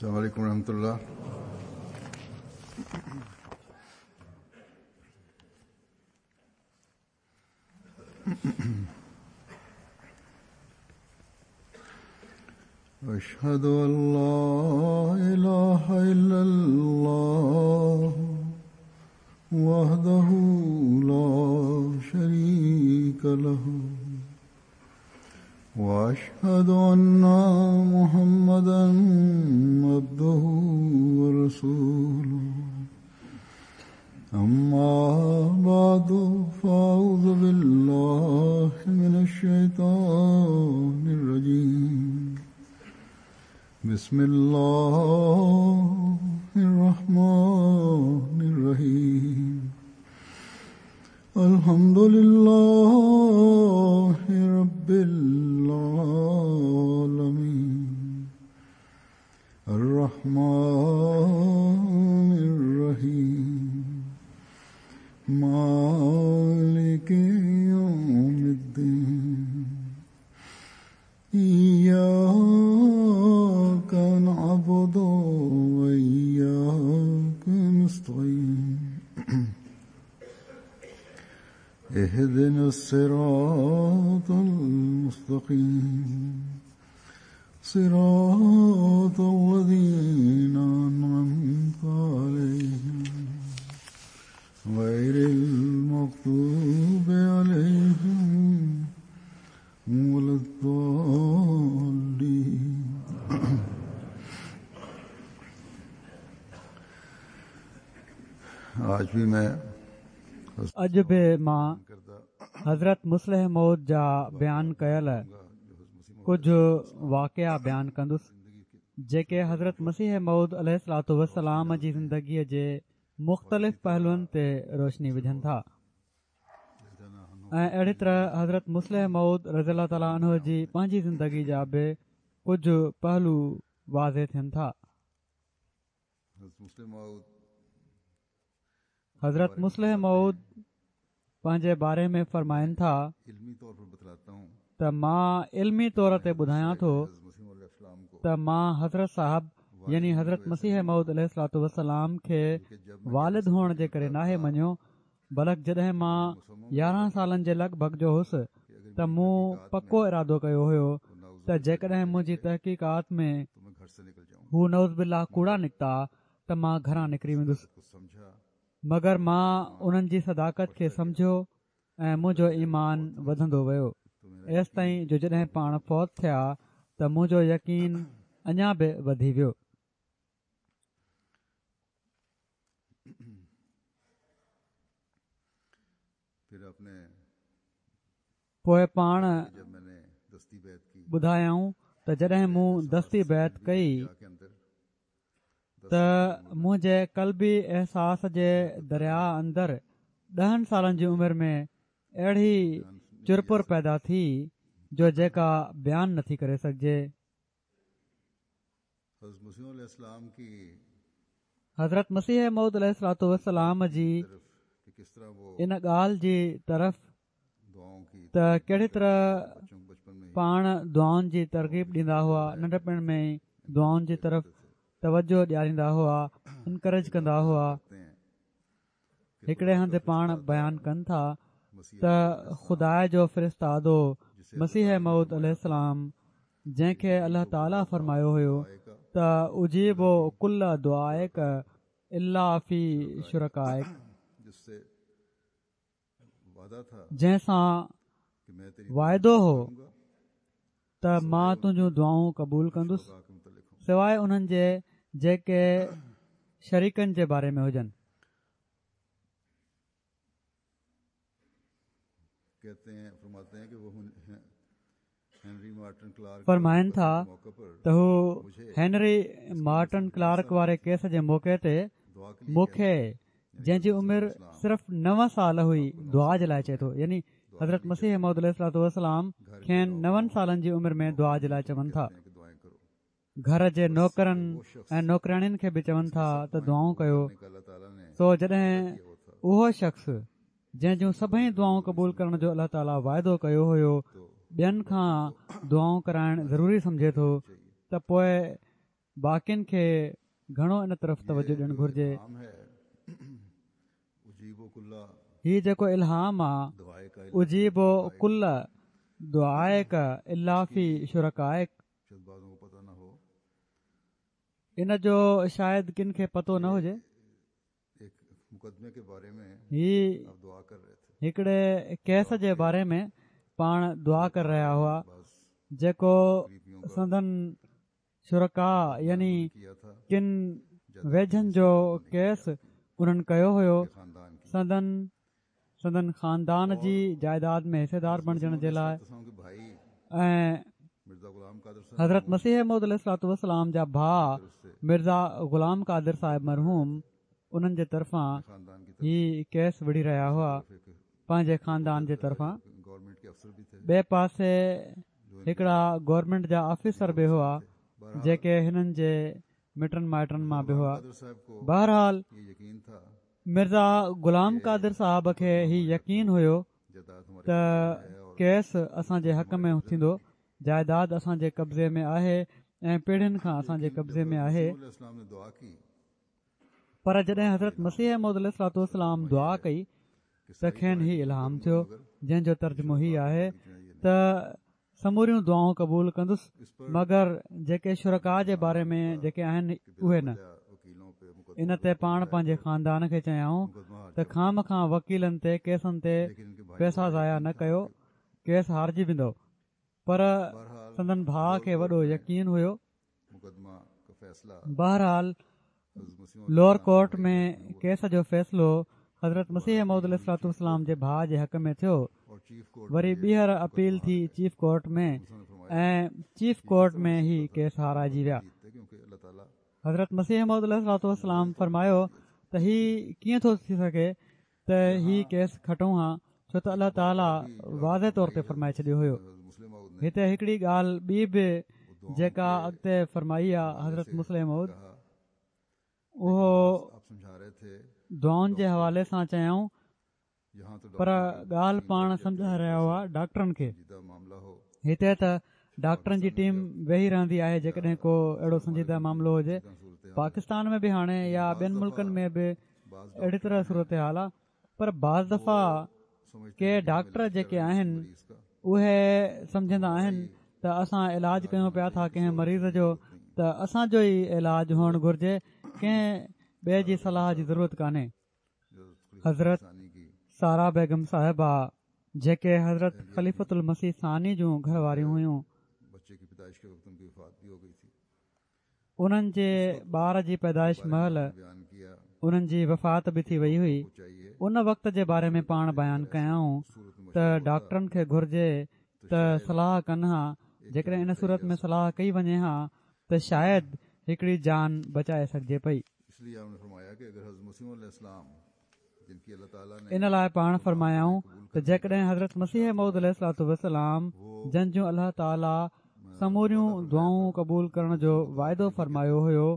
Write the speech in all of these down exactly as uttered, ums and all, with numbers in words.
السلام عليڪم ورحمة الله. أشهد أن لا إله إلا الله وحده لا شريك له وأشهد أن محمدا عبده ورسوله. أما بعد فأعوذ بالله من الشيطان الرجيم. بسم الله الرحمن الرحيم. الحمد لله رب العالمين الرحمن الرحيم مالك يوم الدين. إياك نعبد وإياك نستعين. اهدنا الصراط المستقيم صراط الذين أنعمت عليهم غير المغضوب عليهم ولا الضالين. آج بھی میں اڄ به مان حضرت مصلح موعود جا بيان ڪيل ڪجهه واقعا بيان ڪندس جيڪي حضرت مسيح موعود عليه الصلوة والسلام جي زندگيءَ جي مختلف پهلوئن تي روشني وجهن ٿا ۽ اهڙي طرح حضرت مصلح موعود رضي الله تعالٰي عنه جي پنهنجي زندگي جا به ڪجهه پهلو واضح ٿين ٿا. حضرت مصلح موعود پنهنجي باري ۾ فرمائن ٿا ته مان علمي طور تي ٻڌايان ٿو ته مان حضرت صاحب يعني حضرت مسيح موعود عليه الصلوة والسلام کي والد هئڻ جي ڪري ناهي مڃيو، بلڪ جڏهن مان يارهن سالن جي لڳ ڀڳ جو هوس ته مون پڪو ارادو ڪيو هيو ته جيڪڏهن منهنجي تحقيقات ۾ هو نعوذ بالله ڪوڙا نڪتا ته مان گهران نڪري ويندس، مگر مان انهن جي صداقت کي سمجهيو ۽ منهنجو ايمان وڌندو ويو ايستائين جو جڏهن پاڻ فوت ٿيا ته منهنجو يقين اڃا به وڌي ويو. پوءِ پاڻ ٻڌايائون ته جڏهن مون دستي بيعت ڪئي ته منهنجي قلبي احساس جي درياء اندر ڏهن سالن جي عمر ۾ اهڙي چرپر پيدا ٿي جو جيڪا بيان نٿي ڪري سگهجي. حضرت مسيح موعود عليه الصلوة والسلام جي ان ڳالهه جي طرف ته ڪهڙي طرح پاڻ دعائن جي ترغيب ڏيندا هئا، ننڍپڻ ۾ ئي دعائن جي طرف توجه ڏياريندا هئا، انڪريج ڪندا هئا. هڪڙي هنڌ پاڻ بيان ڪن ٿا ته خدا جو فرستادو مسيح موعود عليه السلام جنهن کي الله تعاليٰ فرمايو هيو ته اجيب ڪل دعائڪ الا في شرڪائڪ، جنهن سان واعدو هو ته مان تنهنجون دعائون قبول ڪندس سواءِ انهن جي جيڪي شريڪن جي باري ۾ هجن. فرمائن ٿا ته هو هينري مارٽن ڪلارڪ واري ڪيس جي موقعي تي مون کي جنهن جي عمر صرف نو سال هئي دعا جي لاءِ چئي ٿو، يعني حضرت مسيح موعود عليه الصلوة والسلام کين نون سالن جي عمر ۾ دعا جي لاءِ چون ٿا. گهر جي نوڪرن ۽ نوڪرياڻين کي به چون ٿا ته دعائون ڪيو. سو جڏهن اهو شخص جنهن جون سڀئي دعائون قبول ڪرڻ جو الله تعاليٰ واعدو ڪيو هيو ٻين کان دعائون ڪرائڻ ضروري سمجهي ٿو ته پوءِ باقين کي گهڻو ان طرف توجه ڏيڻ گهرجي. هي جيڪو الهام آ اجيب ڪل دعائڪ الا في شرڪائڪ، ان جو شايد ڪن کي پتو نه هجي. هي هڪڙي ڪيس جي باري ۾ پاڻ دعا ڪري رهيا هئا جيڪو سندن شرڪا يعني ڪن ويجهن جو ڪيس انهن ڪيو هيو سندن سندن خاندان جي جائيداد ۾ حصيدار بڻجڻ جي لاءِ. ۽ حضرت مسيح موعود عليه الصلوة والسلام جا ڀاءُ مرزا غلام قادر صاحب مرحوم انهن جي طرفان هي ڪيس وڙهي رهيا هئا پنهنجي خاندان جي طرفان. ٻئي پاسي هڪڙا گورنمينٽ جا آفيسر به هئا جيڪي هنن جي مٽن مائٽن مان به هئا. بهرحال مرزا غلام قادر صاحب کي هي يقين هيو ته ڪيس اسان جي حق ۾ ٿيندو، جائيداد اسان جي قبضي ۾ آهي ۽ پيڙهين کان اسان جي قبضي ۾ آهي. پر جڏهن حضرت مسيح موعود عليه الصلوة والسلام دعا ڪئي ته کين هي الهام ٿيو، جنهن جو ترجمو هي آهي ته سموريون دعائون قبول ڪندس مگر جيڪي شرڪا جي باري ۾ جيڪي آهن اهي نه. ان تي پاڻ پنهنجي خاندان کي چيائون ته خام کان وڪيلن تي ڪيسن تي پئسا ضايع نه ڪيو، ڪيس هارجي ويندو. پر سندن ڀاءُ کي وڏو يقين هيو. بهرحال لوئر ڪورٽ ۾ ڪيس جو فيصلو حضرت مسيح موعود عليه الصلوة والسلام جي ڀاءُ جي حق ۾ ٿيو. وري ٻيهر اپيل ٿي چيف ڪورٽ ۾ ۽ چيف ڪورٽ ۾ هي ڪيس هارائجي ويا. حضرت مسيح موعود عليه الصلوة والسلام فرمايو ته هي ڪيئن ٿو ٿي سگهي ته هي ڪيس کٽون ها، ڇو ته الله تعاليٰ واضح طور تي فرمائي ڇڏيو هيو. هتي هڪڙي ڳالهه ٻي به جيڪا اڳتي فرمائي آهي حضرت مصلح موعود، اهو دعائن جي حوالي سان چيائون، پر ڳالهه پاڻ سمجهائي رهيا هئا ڊاڪٽرن کي. هتي ته ڊاڪٽرن جي ٽيم ويهي رهندي آهي جيڪڏهن ڪو اهڙو سنجيده معاملو هجي. پاڪستان ۾ به هاڻي يا ٻين ملڪن ۾ به اهڙي طرح صورتحال آهي. پر بعض دفعا ڪي ڊاڪٽر جيڪي آهن اهي سمجهندا آهن ته اسان علاج ڪيون پيا ٿا ڪنهن مريض جو ته اسان جو ئي علاج هئڻ گهرجي، ڪنهن ٻئي جي صلاح جي ضرورت ڪانهي. حضرت سارا بيگم صاحبه جيڪي حضرت خليفة المسيح ثاني جون گهر واريون هيون، انهن جي ٻار جي پيدائش مهل انهن جي وفات به ٿي وئي هئي. ان وقت جي باري ۾ پاڻ بيان ڪيائون ته ڊاڪٽرن کي گهرجي ته صلاح ڪن ها، جيڪڏهن ان صورت ۾ صلاح ڪئي وڃي ها ته شايد هڪڙي جان بچائي سگهجي پئي. ان لاءِ پاڻ فرمايائون ته جيڪڏهن حضرت مسيح موعود عليه الصلوة والسلام جن جون الله تعاليٰ سموريون دعائون قبول ڪرڻ جو واعدو فرمايو هيو،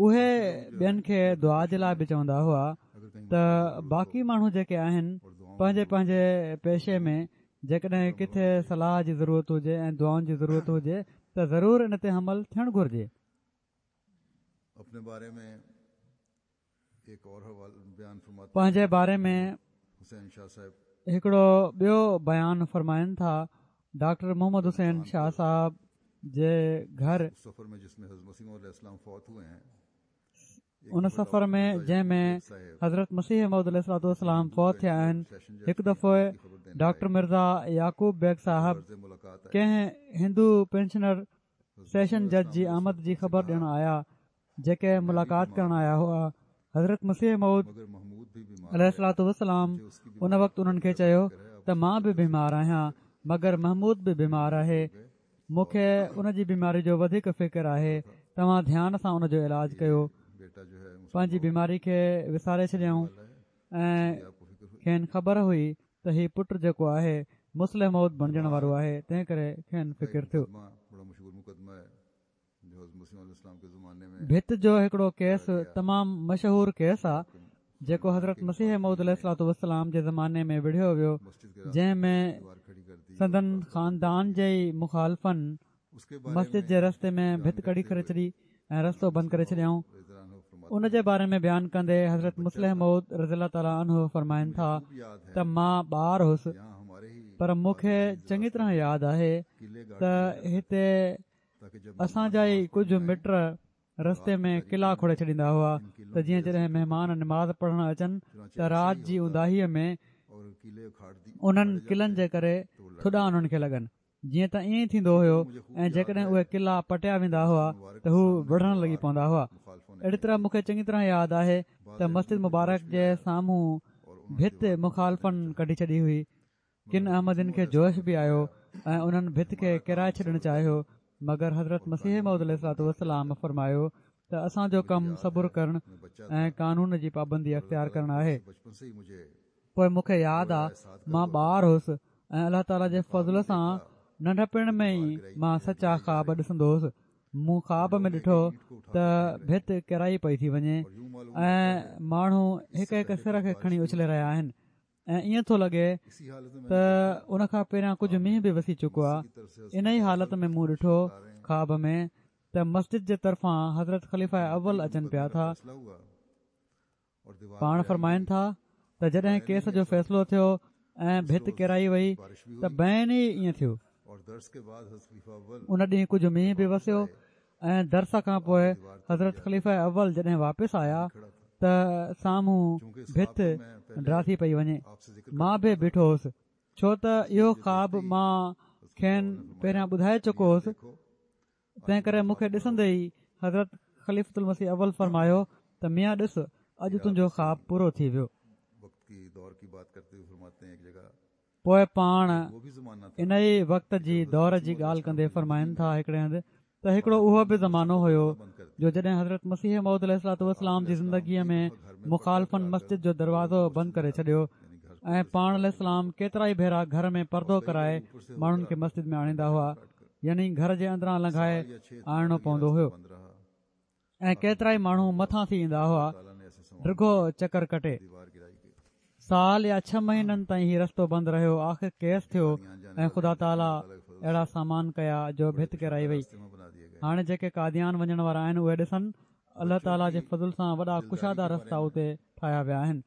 اهي ٻين کي دعا جي لاءِ به چوندا هئا ته باقي ماڻهو جيڪي آهن پنهنجي پنهنجي پيشي ۾ جيڪڏهن ڪٿي صلاح جي ضرورت هجي ۽ دعائن جي ضرورت هجي ته ضرور ان تي عمل ٿيڻ گهرجي. پنهنجي باري ۾ هڪڙو ٻيو بيان فرمائن ٿا ڊاڪٽر محمد حسين شاهه صاحب جي گهر ان سفر ۾ جنهن ۾ حضرت مسيح موعود عليه الصلوة والسلام فوت ٿيا آهن، هڪ دفعو ڊاڪٽر مرزا يعقوب بيگ صاحب ڪنهن هندو پينشنر سيشن جج جي آمد جي خبر ڏيڻ آيا، جيڪي ملاقات ڪرڻ آيا هئا. حضرت مسيح موعود عليه الصلوة والسلام ان وقت انهن کي چيو ته مان به بيمار آهيان مگر محمود به بيمار آهي، مون کي ان جي بيماري جو وڌيڪ فڪر آهي، توهان ڌيان سان ان جو علاج ڪيو. پنهنجي بيماري کي وساري ڇڏيائون ۽ کين خبر هئي ته هي پٽ جيڪو آهي مصلح موعود بڻجڻ وارو آهي، تنهن ڪري کين فڪر ٿيو. ڀت جو هڪڙو ڪيس تمام مشهور ڪيس آ جيڪو حضرت مسيح موعود عليه الصلوة والسلام جي زماني ۾ وڙهيو ويو، جنهن ۾ سندن خاندان جي ئي مخالفن مسجد جي رستي ۾ ڀت ڪڍي ڪري ڇڏي ۽ رستو بند ڪري ڇڏيائون. ان جي باري ۾ بيان ڪندي حضرت مصلح موعود رضي الله تعاليٰ عنه فرمائن ٿا ته مان ٻار هوس، پر مون کي چڱي طرح ياد آهي ته هتي اسان جا ئي ڪجهه مٽ رستي ۾ قلعا کوڙي ڇڏيندا هئا ته جيئن جڏهن مهمان نماز پڙهڻ اچن ته رات جي اونداهيءَ ۾ انهن قلعن جي ڪري ٿڏا انهن کي لڳن. جيئن ته ائين ئي ٿيندو هيو ۽ جيڪڏهن اهي قلعا پٽيا ويندا هئا ته هو وڙهڻ لڳي پوندا هئا. اهڙي طرح مون کي چڱي طرح ياد آهي ته مسجد مبارڪ جي سامهون ڀت مخالفن ڪڍي ڇڏي هئي. ڪن احمدين کي جوش به آيو ۽ انهن ڀت کي ڪيرائي ڇڏڻ چاهيو، مگر حضرت مسيح موعود عليه الصلوة والسلام فرمايو ته اسان جو ڪم صبر ڪرڻ ۽ قانون جي پابندي اختيار ڪرڻ آهي. پوءِ مون کي ياد آ مان ٻار هوس ۽ الله تعاليٰ جي فضل سان ننڍپڻ ۾ ئي مان سچا خواب ڏسندو هوس. مون خواب ۾ ڏٺو ته ڀت ڪيرائي پئي ٿي وڃي ۽ ماڻهو هڪ هڪ سر کي کڻي اڇلي رهيا آهن ۽ ائين ٿو لڳي ته ان کان پهريان ڪجهه مينهن به وسي چڪو آهي. ان ئي حالت ۾ مون ڏٺو خواب ۾ ته مسجد جي طرفان حضرت خليفه اول اچن پيا ٿا. پاڻ فرمائن ٿا ته جڏهن ڪيس جو فيصلو ٿيو ۽ ڀت ڪيرائي وئي ته بين ئي ائين ٿيو. ان ڏينهن ڪجهه مينهن به وسيو ۽ درس کان پوءِ حضرت خليفه اول جڏهن واپس آيا ته سامهون ڀت ڊاٿي پئي وڃي. مان به بيٺو هوس، ڇو ته اهو خواب مان کين پهريان ٻڌائي چڪو هوس، تنهن ڪري مون کي ڏسندي ئي حضرت خليفة المسيح اول فرمايو ته ميان ڏس، اڄ تنهنجو خواب پورو ٿي ويو. پوءِ پاڻ ان ئي وقت جي دور جي ڳالهه ڪندي فرمائن ٿا هڪڙي هنڌ ته هڪڙو اهو به زمانو هيو جو جڏهن حضرت مسيح موعود عليه الصلوة والسلام جي زندگيءَ ۾ مخالفن مسجد جو دروازو بند ڪري ڇڏيو ۽ پاڻ عليه السلام ڪيترا ئي ڀيرا گهر ۾ پردو ڪرائي ماڻهن کي مسجد ۾ آڻيندا هئا، يعني گهر جي اندران لنگهائي آڻڻو پوندو هيو ۽ ڪيترا ئي ماڻهو مٿان ٿي ايندا هئا ڊگهو چڪر ڪٽي. سال يا ڇهه مهينن تائين هي رستو بند رهيو. آخر ڪيس ٿيو ۽ خدا تعاليٰ اهڙا سامان ڪيا جو ڀت ڪيرائي وئي. هاڻي جيڪي قاديان وڃڻ وارا آهن اهي ڏسن، الله تعاليٰ جي فضل سان وڏا ڪشادا رستا اتي ٺاهيا ويا آهن.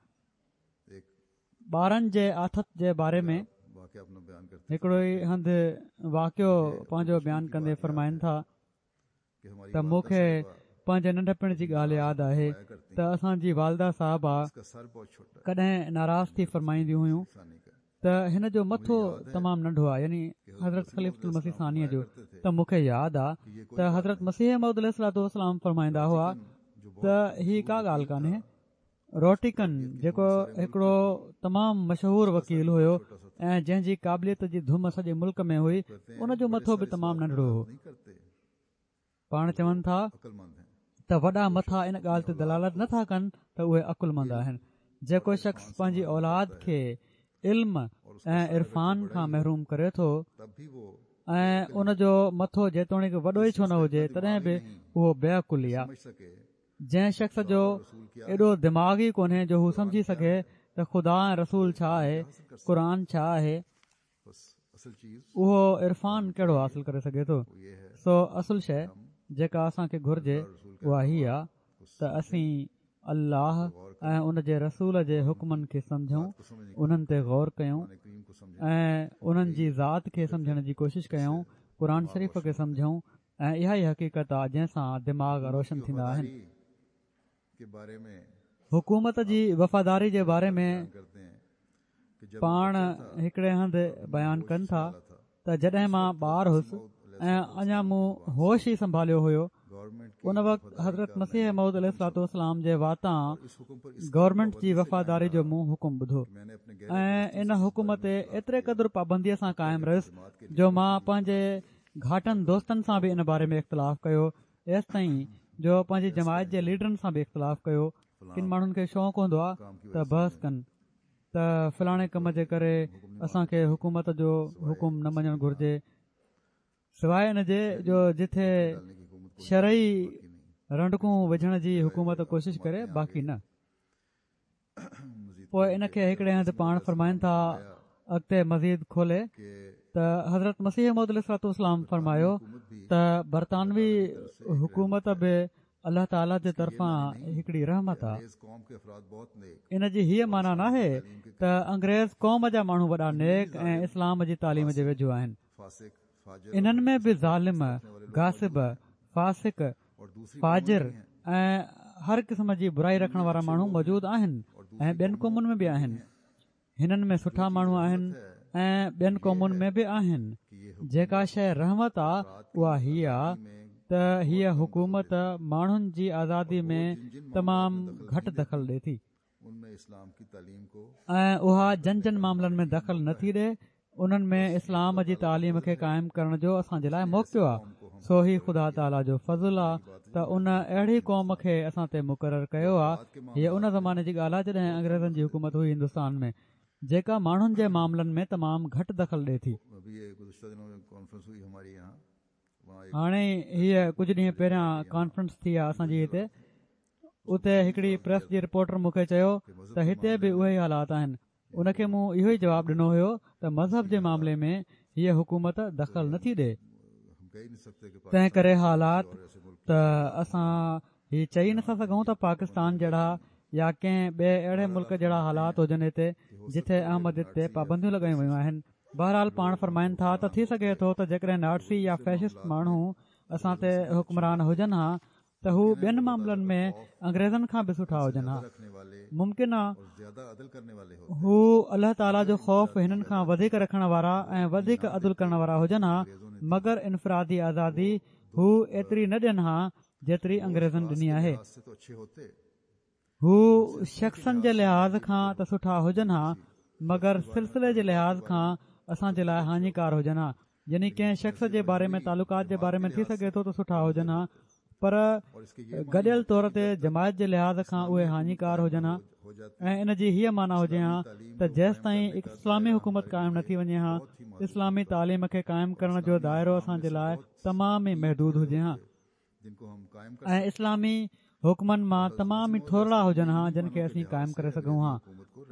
ٻارن جي آٿت جي باري ۾ هڪڙو ئي هنڌ واقعو پنهنجو بيان ڪندي فرمائن ٿا ته مون کي پنهنجي ننڍپڻ جي ڳالهه ياد آهي ته اسان جي والده صاحبه ڪڏهن ناراض ٿي فرمائينديون هيون ته هن جو مٿو تمام ننڍو آهي، يعني حضرت خليفة المسيح ثانيءَ جو. ته مون کي ياد آهي ته حضرت مسيح موعود عليه الصلوة والسلام فرمائيندا هئا ته هي ڪا ڳالهه ڪانهي. روٽيڪن جيڪو هڪڙو تمام مشهور وڪيل هيو ۽ جنهن جي قابليت جي ڌم سڄي ملڪ ۾ هئي، ان جو مٿو به تمام ننڍڙو هو. پاڻ چون ٿا ته وڏا مٿا ان ڳالهه تي دلالت نٿا ڪن ته اهي عقلمند آهن. جيڪو شخص پنهنجي اولاد کي علم ۽ عرفان کان محروم ڪري ٿو ۽ ان جو مٿو جيتوڻيڪ وڏو ئي ڇو نه هجي، تڏهن به اهو بي عقل ئي آهي. جنهن شخص جو ايڏو دماغ ئي ڪونهي جو هو سمجهي سگهي ته خدا ۽ رسول ڇا آهي، قرآن ڇا آهي، اهو عرفان ڪهڙو حاصل ڪري سگهي ٿو؟ سو اصل شيءِ جيڪا اسان کي گهرجي اها هي آهي ته اسين الله ۽ ان جي رسول جي حڪمن کي سمجهون، انهن تي غور ڪيون ۽ انهن جي ذات کي سمجهڻ جي ڪوشش ڪيون، قرآن شريف کي سمجهون ۽ اها ئي حقيقت آهي جنهن سان دماغ روشن ٿيندا آهن. حڪومت جي وفاداري جي باري ۾ پاڻ هڪڙي هنڌ بيان ڪن ٿا ته جڏهن مان ٻار هوس ۽ اڃا مون هوش ئي سنڀاليو هيو، ان وقت حضرت مسيح موعود عليه الصلوة والسلام جي واتان گورنمينٽ جي وفاداري جو مون حڪم ٻڌو ۽ ان حڪم تي ايتري قدر پابنديءَ سان قائم رهيس جو مان پنهنجي گهاٽن دوستن سان به ان باري ۾ اختلاف ڪيو، ايستائين جو پنهنجي جماعت جي ليڊرن سان به اختلاف ڪيو. ڪن ماڻهن کي شوق هوندو آهي ته بحث ڪن ته فلاڻي ڪم جي ڪري اسان کي حڪومت جو حڪم نه مڃڻ گهرجي، سواءِ ان جي جو جٿي شرعي رنڊڪون وجهڻ جي حڪومت ڪوشش ڪري، باقي نه. پوءِ ان کي هڪڙي هنڌ پاڻ فرمائن ٿا اڳتي مزيد کولي ته حضرت مسيح موعود عليه الصلوة والسلام فرمايو ته برطانوي حڪومت به الله تعاليٰ جي طرفان هڪڙي رحمت آهي. ان جي هيءَ معنيٰ ناهي ته انگريز قوم جا ماڻهو وڏا نيڪ ۽ اسلام جي تعليم جي ويجهو آهن. انهن ۾ به ظالم، غاصب، فاسق، فاجر ۽ هر قسم جي برائي رکڻ وارا ماڻهو موجود آهن ۽ ٻين قومن ۾ به آهن. هنن ۾ سٺا ماڻهو آهن ۽ ٻين قومن ۾ به آهن. جيڪا شيءِ رحمت آهي اها هيءَ آهي ته هيءَ حڪومت ماڻهن جي آزادي ۾ تمام گهٽ دخل ڏئي ٿي ۽ اها جن جن معاملن ۾ دخل نٿي ڏئي انهن ۾ اسلام جي تعليم کي قائم ڪرڻ جو اسان جي لاءِ موقعو آهي. سو هي خدا تعاليٰ جو فضل آهي ته ان اهڙي قوم کي اسان تي مقرر ڪيو آهي. هيءَ ان زماني جي ڳالهه آهي جڏهن انگريزن جي حڪومت هئي هندستان ۾، جيڪا ماڻهن جي معاملن ۾ تمام گهٽ دخل ڏئي ٿي. هاڻي هيءَ ڪجهه ڏينهن پهريان ڪانفرنس ٿي آهي اسان جي هتي، اتي هڪڙي پريس جي رپورٽر مون کي چيو ته هتي به اهي ئي حالات آهن. ان کي مون اهو ئي جواب ڏنو هيو ته مذهب جي معاملي ۾ هيءَ حڪومت دخل نٿي ڏئي، تنهن ڪري حالات ته اسان هي چئي نٿا سگهون ته پاڪستان جهڙا يا ڪنهن ٻئي اهڙي ملڪ جهڙا حالات هجن هتي جتي احمديت تي پابنديون لڳايون ويون آهن. بهرحال پاڻ فرمائن ٿا ته ٿي سگهي ٿو ته جيڪڏهن ناٽسي يا فيشسٽ ماڻهو اسان تي حڪمران هجن ها ته هو ٻين معاملن ۾ انگريزن کان به سٺا هجن ها. ممڪن آهي هو الله تعاليٰ جو خوف هنن کان وڌيڪ رکڻ وارا ۽ وڌيڪ عدل ڪرڻ وارا هجن ها، مگر انفرادي آزادي هو ايتري نه ڏين ها جيتري انگريزن ڏني آهي. هو شخصن جي لحاظ کان ته سٺا هجن ها، مگر سلسلي جي لحاظ کان اسان جي لاءِ هاڃيڪار هجن ها. يعني ڪنهن شخص جي باري ۾ تعلقات جي باري ۾ ٿي سگهي ٿو ته سٺا هجن ها، پر گڏيل طور تي جماعت جي لحاظ کان اهي هاڃيڪار هجن ها. ۽ ان جي هيءَ معنيٰ هجي ها ته جيستائين اسلامي حڪومت قائم نه ٿي وڃي ها، اسلامي تعليم کي قائم ڪرڻ جو دائرو اسان جي لاءِ تمام ئي محدود هجي ها ۽ اسلامي حڪمن مان تمام ئي ٿورڙا هجن ها جن کي اسين قائم ڪري سگهون ها.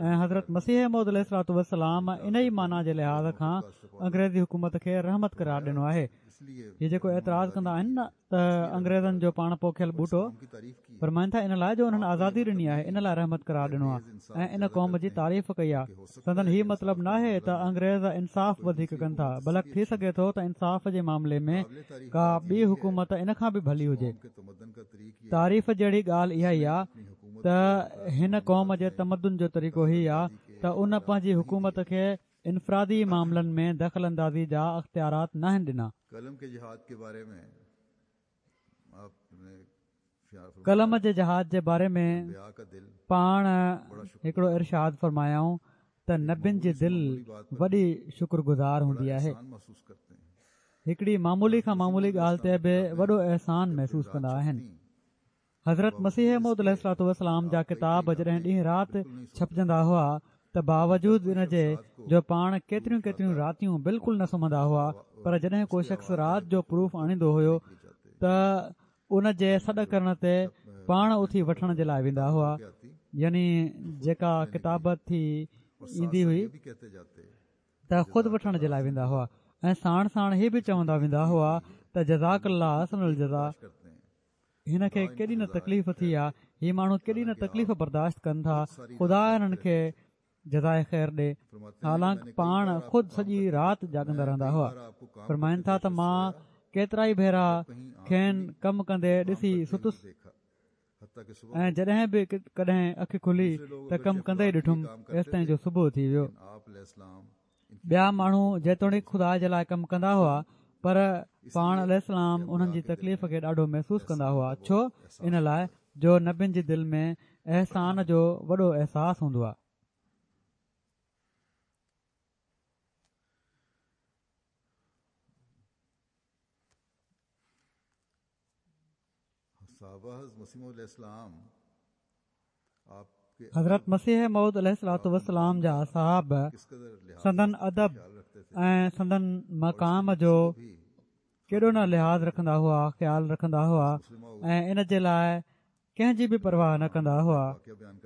۽ حضرت مسيح موعود عليه الصلوة والسلام ان ئي معنيٰ جي لحاظ کان انگريزي حڪومت کي رحمت قرار ڏنو آهي. هي جيڪو اعتراض ڪندا آهن نه ته انگريزن جو پاڻ پوکيل ٻوٽو، فرمائن ٿا ان لاءِ جو انهن آزادي ڏني آهي ان لاءِ رحمت قرار ڏنو آهي ۽ ان قوم جي تعريف ڪئي آهي. سندن هي مطلب ناهي ته انگريز انصاف وڌيڪ ڪن ٿا، بلڪ ٿي سگهي ٿو ته انصاف جي معاملي ۾ ڪا ٻي حڪومت ان کان به ڀلي هجي. تعريف جهڙي ڳالهه اها ئي آهي ته هن قوم جي تمدن جو طريقو هي آهي ته ان پنهنجي حڪومت کي انفرادي معاملن ۾ دخل اندازي جا اختيارات ناهن ڏنا. قلم جي جهاد جي باري ۾ پاڻ هڪڙو ارشاد فرمايائون ته نبين جي دل وڏي شڪرگذار هوندي آهي، هڪڙي معمولي کان معمولي ڳالهه تي به وڏو احسان محسوس ڪندا آهن. حضرت مسيح موعود عليه الصلوة والسلام جا ڪتاب جڏهن ڏينهن رات ڇپجندا هئا ته باوجود ان جي جو پاڻ ڪيتريون ڪيتريون راتيون بلڪل نه سمهندا هئا، پر جڏهن ڪو شخص رات جو پروف آڻيندو هيو ته ان جي سڏ ڪرڻ تي پاڻ اٿي وٺڻ جي لاءِ ويندا هئا. يعني جيڪا ڪتابت ٿي ايندي هئي ته خود وٺڻ جي لاءِ ويندا هئا ۽ ساڻ ساڻ هي به چوندا ويندا هئا ته جزاڪ الله احسن الجزا. هن کي ڪيڏي نه تڪليف ٿي آهي، هي ماڻهو ڪيڏي نه تڪليف برداشت ڪن ٿا، خدا هنن کي جزائي خير ڏي. حالانڪ پاڻ خود سڄي رات جاڳندا رهندا هئا. فرمائن ٿا ته مان ڪيترا ئي ڀيرا کين ڪم ڪندي ڏسي ستس ۽ جڏهن به ڪڏهن اک کلي ته ڪم ڪندي ئي ڏٺم، ايستائين جو صبح ٿي ويو. ٻيا ماڻهو جيتوڻيڪ خدا جي لاءِ ڪم ڪندا هئا، پر پاڻ عليه السلام انهن جي تڪليف کي ڏاڍو محسوس ڪندا هئا. ڇو؟ ان لاءِ جو نبين جي دل ۾ احسان جو وڏو احساس هوندو آهي. حضرت مسيح موعود عليه الصلوة والسلام جا اصحاب سندن ادب ۽ سندن مقام جو ڪيڏو نه لحاظ رکندا هئا، خيال رکندا هئا ۽ ان جي لاءِ ڪنهن جي به پرواهه نه ڪندا هئا.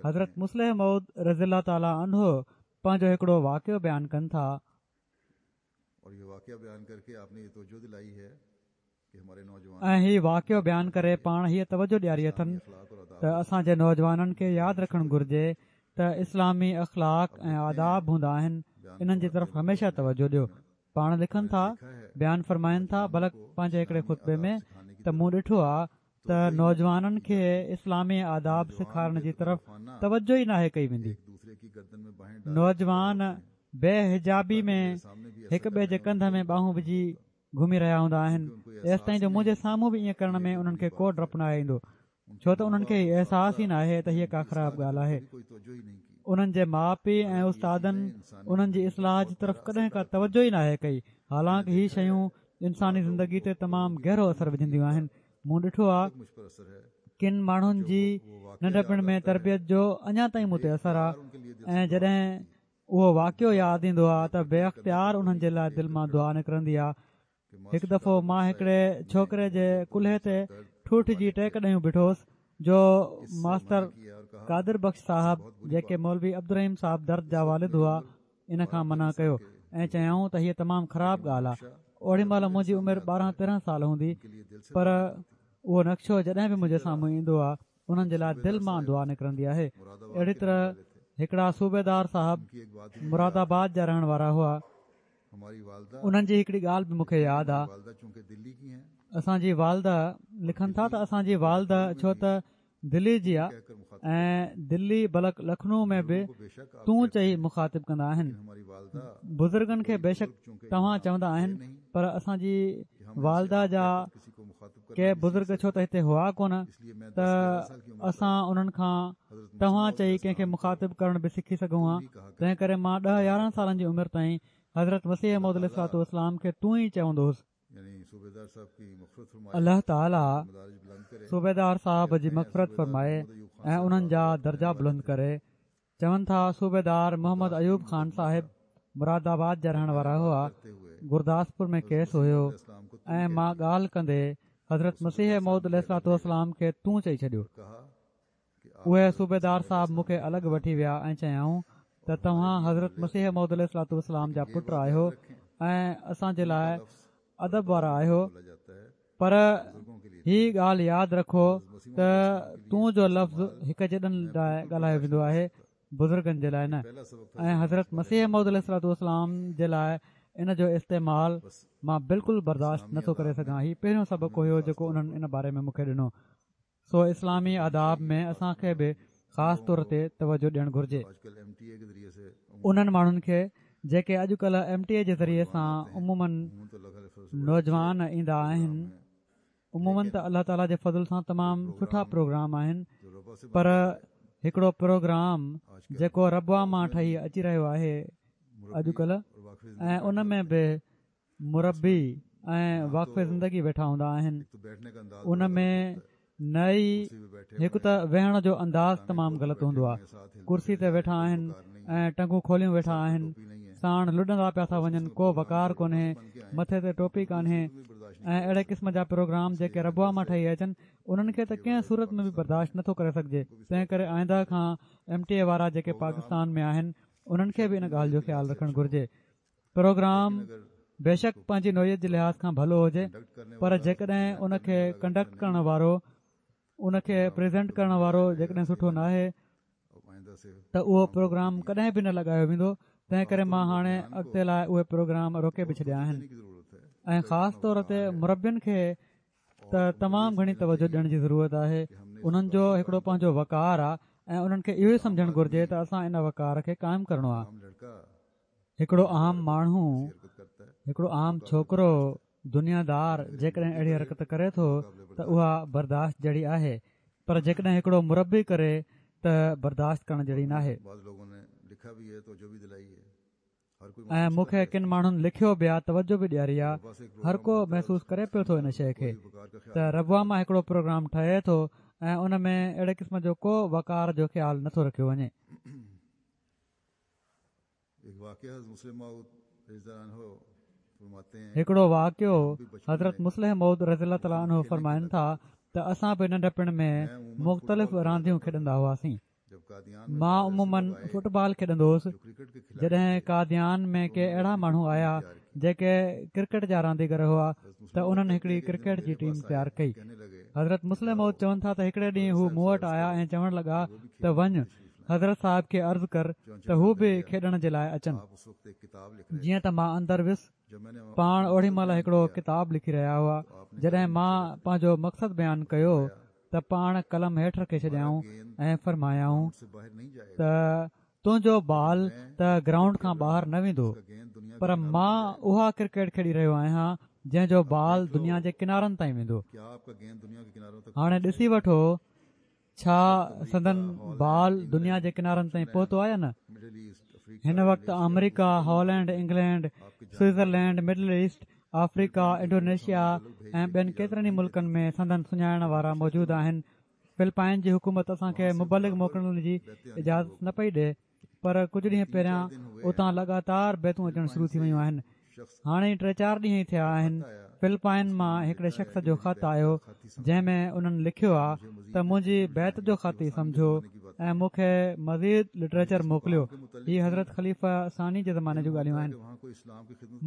حضرت مصلح موعود رضي الله تعاليٰ عنه پنهنجو هڪڙو واقعو بيان ڪن ٿا. ۽ هي واقعو بيان ڪري پاڻ هيء توجه ڏياري اٿن ته اسان جي نوجوانن کي ياد رکڻ گهرجي ته اسلامي اخلاق ۽ آداب هوندا آهن، انهن جي طرف هميشه توجه ڏيو. پاڻ لکن ٿا، بيان فرمائن ٿا، بلڪ پنهنجي هڪڙي خطبي ۾ ته مون ڏٺو آ ته نوجوانن کي اسلامي آداب سيکارڻ جي طرف توجه ئي ناهي ڪئي ويندي. نوجوان بي حجابي ۾ هڪ ٻئي جي ڪنڌ ۾ ٻانهون وجهي گهمي رهيا هوندا آهن، ايستائين جو منهنجي سامهون به ائين ڪرڻ ۾ انهن کي ڪو ڊپ ناهي ايندو، ڇو ته انهن کي هي احساس ئي ناهي ته هيء ڪا خراب ڳالهه آهي. انهن جي ماء پيء ۽ استادن انهن جي اصلاح جي طرف ڪڏهن ڪا توجه ئي ناهي ڪئي، حالانڪ هي شيون انساني زندگي تي تمام گهرو اثر وجهنديون آهن. مون ڏٺو آ ڪن ماڻهن جي ننڍپڻ ۾ تربيت جو اڃا تائين مون تي اثر آ ۽ جڏهن اهو واقعو ياد ايندو آ ته بي اختيار انهن جي لاء دل مان دعا نڪرندي آ. هڪ دفعو مان هڪڙي ڇوڪري جي ڪلهي تي ٺوٺ جي ٽيڪ ڏيون بيٺو هوس جو ماستر قادر بخش صاحب، جيڪي مولوي عبدالرحيم صاحب درد جا والد هئا، ان کان منع ڪيو ۽ چيائون ته هيء تمام خراب ڳالهه آ. اوڏي مهل منهنجي عمر ٻارهن تيرهن سال هوندي، پر اهو نقشو جڏهن به منهنجي سامهون ايندو آ انهن جي لاء دل مان دعا نڪرندي آهي. اهڙي طرح هڪڙا صوبيدار صاحب مراد آباد جا رهڻ وارا هئا. انهن جي هڪڙي ڳالهه به مون کي ياد آ. اسان جي والده لکن ٿا ته اسان جي والده ڇو ته دلي جي آ ۽ دلي بلڪ لکنو ۾ به تون چئي مخاطب ڪندا آهن. بزرگن کي بيشڪ توهان چوندا آهن، پر اسان جي والده جا ڪي بزرگ ڇو ته هتي هئا ڪونه ته اسان انهن کان توهان چئي ڪنهن کي مخاطب ڪرڻ به سکي سگهون ها، تنهن ڪري مان ڏهه يارهن سالن جي عمر تائين حضرت مسيح موعود عليه الصلوة والسلام کي تون ئي چوندو هوس. الله تعاليٰ صوبيدار صاحب جي مغفرت فرمائي ۽ انهن جا درجا بلند ڪري. چون ٿا صوبيدار محمد ايوب خان صاحب مراد آباد جا رهڻ وارا هئا. گرداسپور ۾ ڪيس هيو ۽ مان ڳالهه ڪندي حضرت مسيح موعود عليه الصلوة والسلام کي تون چئي ڇڏيو. اهي صوبيدار صاحب مون کي الڳ وٺي ويا ۽ چيائون ته توهان حضرت مسيح موعود عليه الصلوة والسلام جا پٽ آهيو ۽ اسان جي لاء ادب وارا آهيو، پر هي ڳالهه ياد رکو ته تون جو لفظ هڪ جيڏن لاء ڳالهايو ويندو آهي، بزرگن جي لاء نه، ۽ حضرت مسيح موعود عليه الصلوة والسلام جي لاء ان جو استعمال مان بلڪل برداشت نٿو ڪري سگهان. هي پهريون سبق هيو جيڪو انهن ان باري ۾ مون کي ڏنو. سو اسلامي آداب ۾ اسان کي به خاص طور تي توجه ڏيڻ گهرجي. انهن ماڻهن کي جيڪي اڄڪلهه ايم ٽي اي جي ذريعي سان عموماً نوجوان ايندا آهن، عموماً ته الله تعاليٰ جي فضل سان تمام سٺا پروگرام آهن، پر هڪڙو پروگرام جيڪو ربوه مان ٺهي اچي رهيو آهي اڄڪلهه، ۽ ان ۾ به مربي ۽ واقف زندگي ويٺا هوندا آهن، ان ۾ نه ئي هڪ ته ويهڻ جو انداز تمام غلط هوندو آهي، ڪرسي تي ويٺا آهن ۽ ٽنگون کوليون ويٺا آهن، ساڻ لڏندا پيا ٿا وڃن، ڪو وقار ڪونهي، مٿي تي ٽوپي ڪانهي ۽ اهڙي قسم جا پروگرام جيڪي ربوه مان ٺهي اچن انهن کي ته ڪنهن صورت ۾ به برداشت نٿو ڪري سگهجي. تنهن ڪري آئنده کان ايم ٽي اي وارا جيڪي پاڪستان ۾ آهن انهن کي به ان ڳالهه جو خيال رکڻ گهرجي. پروگرام بيشڪ پنهنجي نوعيت جي لحاظ کان ڀلو هجي، پر جيڪڏهن ان کي ڪنڊڪٽ ڪرڻ وارو، ان کي پريزنٽ ڪرڻ وارو جيڪڏهن سٺو ناهي ته اهو پروگرام ڪڏهن به نه لڳايو ويندو. تنهن ڪري مان هاڻي اڳتي لاء اهي پروگرام روڪي به ڇڏيا آهن ۽ خاص طور تي مربين کي ته تمام گهڻي توجه ڏيڻ جي ضرورت آهي. انهن جو هڪڙو پنهنجو وقار آهي ۽ انهن کي اهو ئي سمجهڻ گهرجي ته اسان ان وقار کي قائم ڪرڻو آهي. هڪڙو عام ماڻهو، هڪڙو عام ڇوڪرو دنيادار جيڪڏهن اهڙي حرڪت ڪري ٿو ته اها برداشت جهڙي آهي، پر جيڪڏهن هڪڙو مربي ڪري ته برداشت ڪرڻ جهڙي ناهي. ۽ مون کي ڪن ماڻهن لکيو به آ، توجه به ڏياري آ، هر ڪو محسوس ڪري پيو ٿو ان شيء کي ته ربوه مان هڪڙو پروگرام ٺهي ٿو ۽ ان ۾ اهڙي قسم جو ڪو وقار جو خيال نٿو رکيو وڃي. هڪڙو واقعو حضرت مصلح موعود رضي الله تعالٰي عنه فرمائن ٿا ته اسان به ننڍپڻ ۾ مختلف رانديون کيڏندا هئاسين. مان عموماً فٽبال کيڏندو هوس. جڏهن قاديان ۾ ڪي اهڙا ماڻهو آيا جيڪي ڪرڪيٽ جا رانديگر هئا ته انهن هڪڙي ڪرڪيٽ جي ٽيم تيار ڪئي. حضرت مصلح موعود چون ٿا ته هڪڙي ڏينهن هو مون وٽ آيا ۽ چوڻ لڳا ته وڃ حضرت صاحب کي عرض ڪر ته هو به کيڏڻ جي لاءِ اچن. جيئن ته مان اندر ويس، پاڻ اوڏي مهل هڪڙو ڪتاب لکي رهيا هئا. جڏهن مان پنهنجو مقصد بيان ڪيو ته پاڻ قلم هيٺ رکي ڇڏيائون ۽ فرمايائون ته تنهنجو بال ته گرائونڊ کان ٻاهر نه ويندو، پر مان اها ڪرڪيٽ کيڏي رهيو آهيان جنهن جو بال دنيا جي ڪنارن تائين ويندو. هاڻي ڏسي وٺو ڇا سندن بال دنيا جي ڪنارن تائين پهتو آهي يا نه. هن وقت آمريڪا، Holland, England, Switzerland, Middle East, Africa, Indonesia ۽ ٻين ڪيترن ئي ملڪن ۾ سندن سڃاڻڻ وارا موجود آهن. فلپائن جي حڪومت اسان کي مبلغ موڪلڻ جي اجازت نه پئي ڏئي، پر ڪجهه ڏينهن پهريان اتان لڳاتار بيعتون اچڻ شروع ٿي ويون آهن. هاڻي ٽي چار ڏينهن ئي ٿيا آهن، فلپائن مان هڪڙي شخص جو خط آيو جنهن ۾ انهن لکيو آهي ته منهنجي بيعت جو خط ئي سمجهو ۽ مون کي مزيد لٽريچر موڪليو. هي حضرت خليفه ثاني جي زماني جون ڳالهيون آهن.